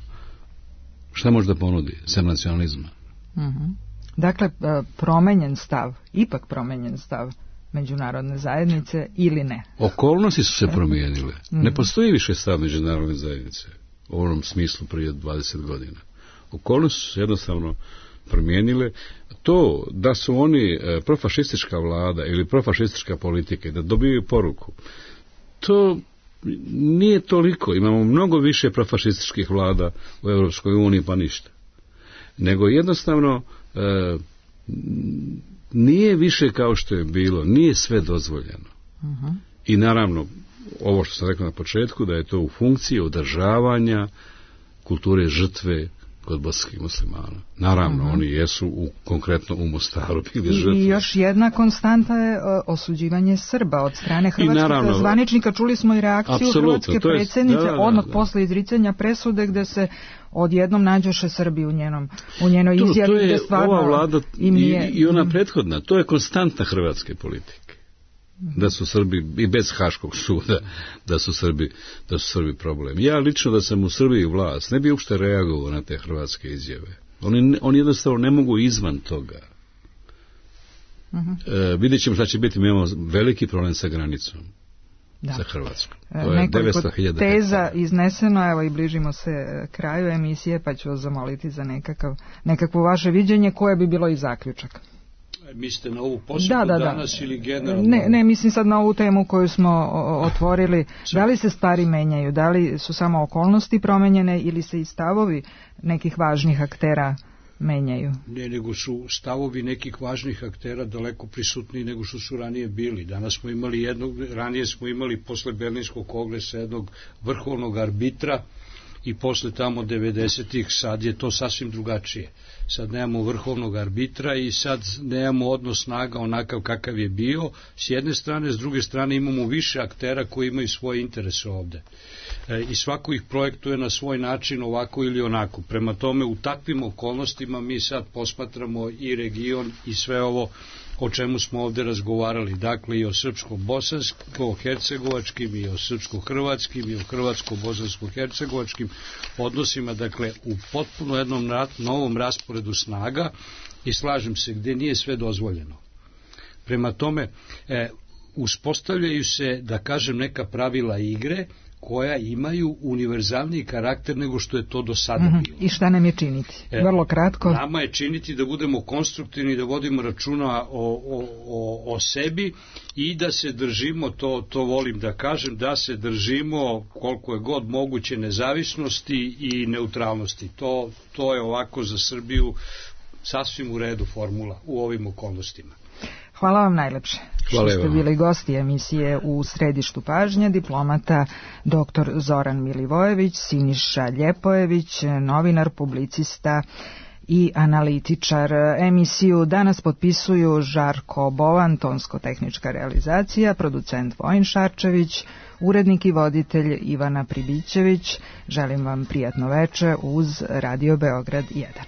Šta može da ponudi? Sem nacionalizma.
Mm-hmm. Dakle, promenjen stav, ipak promenjen stav međunarodne zajednice ili ne?
Okolnosti su se promijenile. Mm-hmm. Ne postoji više stav međunarodne zajednice u onom smislu prije dvadeset godina. Okolnosti su se jednostavno promijenile. To da su oni profašistička vlada ili profašistička politika da dobiju poruku, to nije toliko. Imamo mnogo više profašističkih vlada u Europskoj uniji, pa ništa. Nego jednostavno e, nije više kao što je bilo, nije sve dozvoljeno. Uh-huh. I naravno, ovo što sam rekao na početku, da je to u funkciji održavanja kulture žrtve kod bosanskih muslimana. Naravno, uh-huh. oni jesu u, konkretno u Mostaru bili žrtve.
I još jedna konstanta je osuđivanje Srba od strane hrvatskih zvaničnika. Čuli smo i reakciju hrvatske predsjednice da, da, odmah da. posle izricanja presude gde se odjednom nađoše Srbi u njenom u njenoj izjavi.
To, to je
stvarno
ova vlada i, nije... i ona prethodna. To je konstanta hrvatske politike. Da su Srbi, i bez Haškog suda, da su Srbi, da su Srbi problem. Ja lično da sam u Srbiji vlast, ne bi uopšte reagovao na te hrvatske izjave. Oni, oni jednostavno ne mogu izvan toga. Uh-huh. E, vidjet ćemo šta će biti, mi imamo veliki problem sa granicom. Da. Sa Hrvatskom. To je devetsto hiljada
teza
hektara.
Izneseno, evo i bližimo se kraju emisije, pa ću vas zamoliti za nekakav, nekakvo vaše viđenje, koje bi bilo i zaključak.
Mislite na ovu posjetu da, da, danas da. ili generalno?
Ne, ne, mislim sad na ovu temu koju smo otvorili. Da li se stvari menjaju? Da li su samo okolnosti promenjene ili se i stavovi nekih važnih aktera menjaju?
Ne, nego su stavovi nekih važnih aktera daleko prisutniji nego što su ranije bili. Danas smo imali jednog, ranije smo imali posle Berlinskog kongresa jednog vrhovnog arbitra i posle tamo devedesetih sad je to sasvim drugačije. Sad nemamo vrhovnog arbitra i sad nemamo odnos snaga onakav kakav je bio. S jedne strane, s druge strane imamo više aktera koji imaju svoje interese ovde. E, I svako ih projektuje na svoj način ovako ili onako. Prema tome, u takvim okolnostima mi sad posmatramo i region i sve ovo o čemu smo ovde razgovarali, dakle i o srpsko-bosansko-hercegovačkim i o srpsko-hrvatskim i o hrvatsko-bosansko-hercegovačkim odnosima, dakle u potpuno jednom novom rasporedu snaga i slažem se gde nije sve dozvoljeno. Prema tome, e, uspostavljaju se, da kažem, neka pravila igre koja imaju univerzalniji karakter nego što je to do sada
mm-hmm.
bilo.
I šta nam je činiti? E, Vrlo kratko.
Nama je činiti da budemo konstruktivni, da vodimo računa o, o, o, o sebi i da se držimo, to, to volim da kažem, da se držimo koliko je god moguće nezavisnosti i neutralnosti. To, to je ovako za Srbiju sasvim u redu formula u ovim okolnostima.
Hvala vam najlepše što ste bili gosti emisije U središtu pažnje, diplomata doktor Zoran Milivojević, Siniša Ljepojević, novinar, publicista i analitičar. Emisiju danas potpisuju Žarko Bovan, tonsko-tehnička realizacija, producent Vojin Šarčević, urednik i voditelj Ivana Pribićević. Želim vam prijatno veče uz Radio Beograd jedan.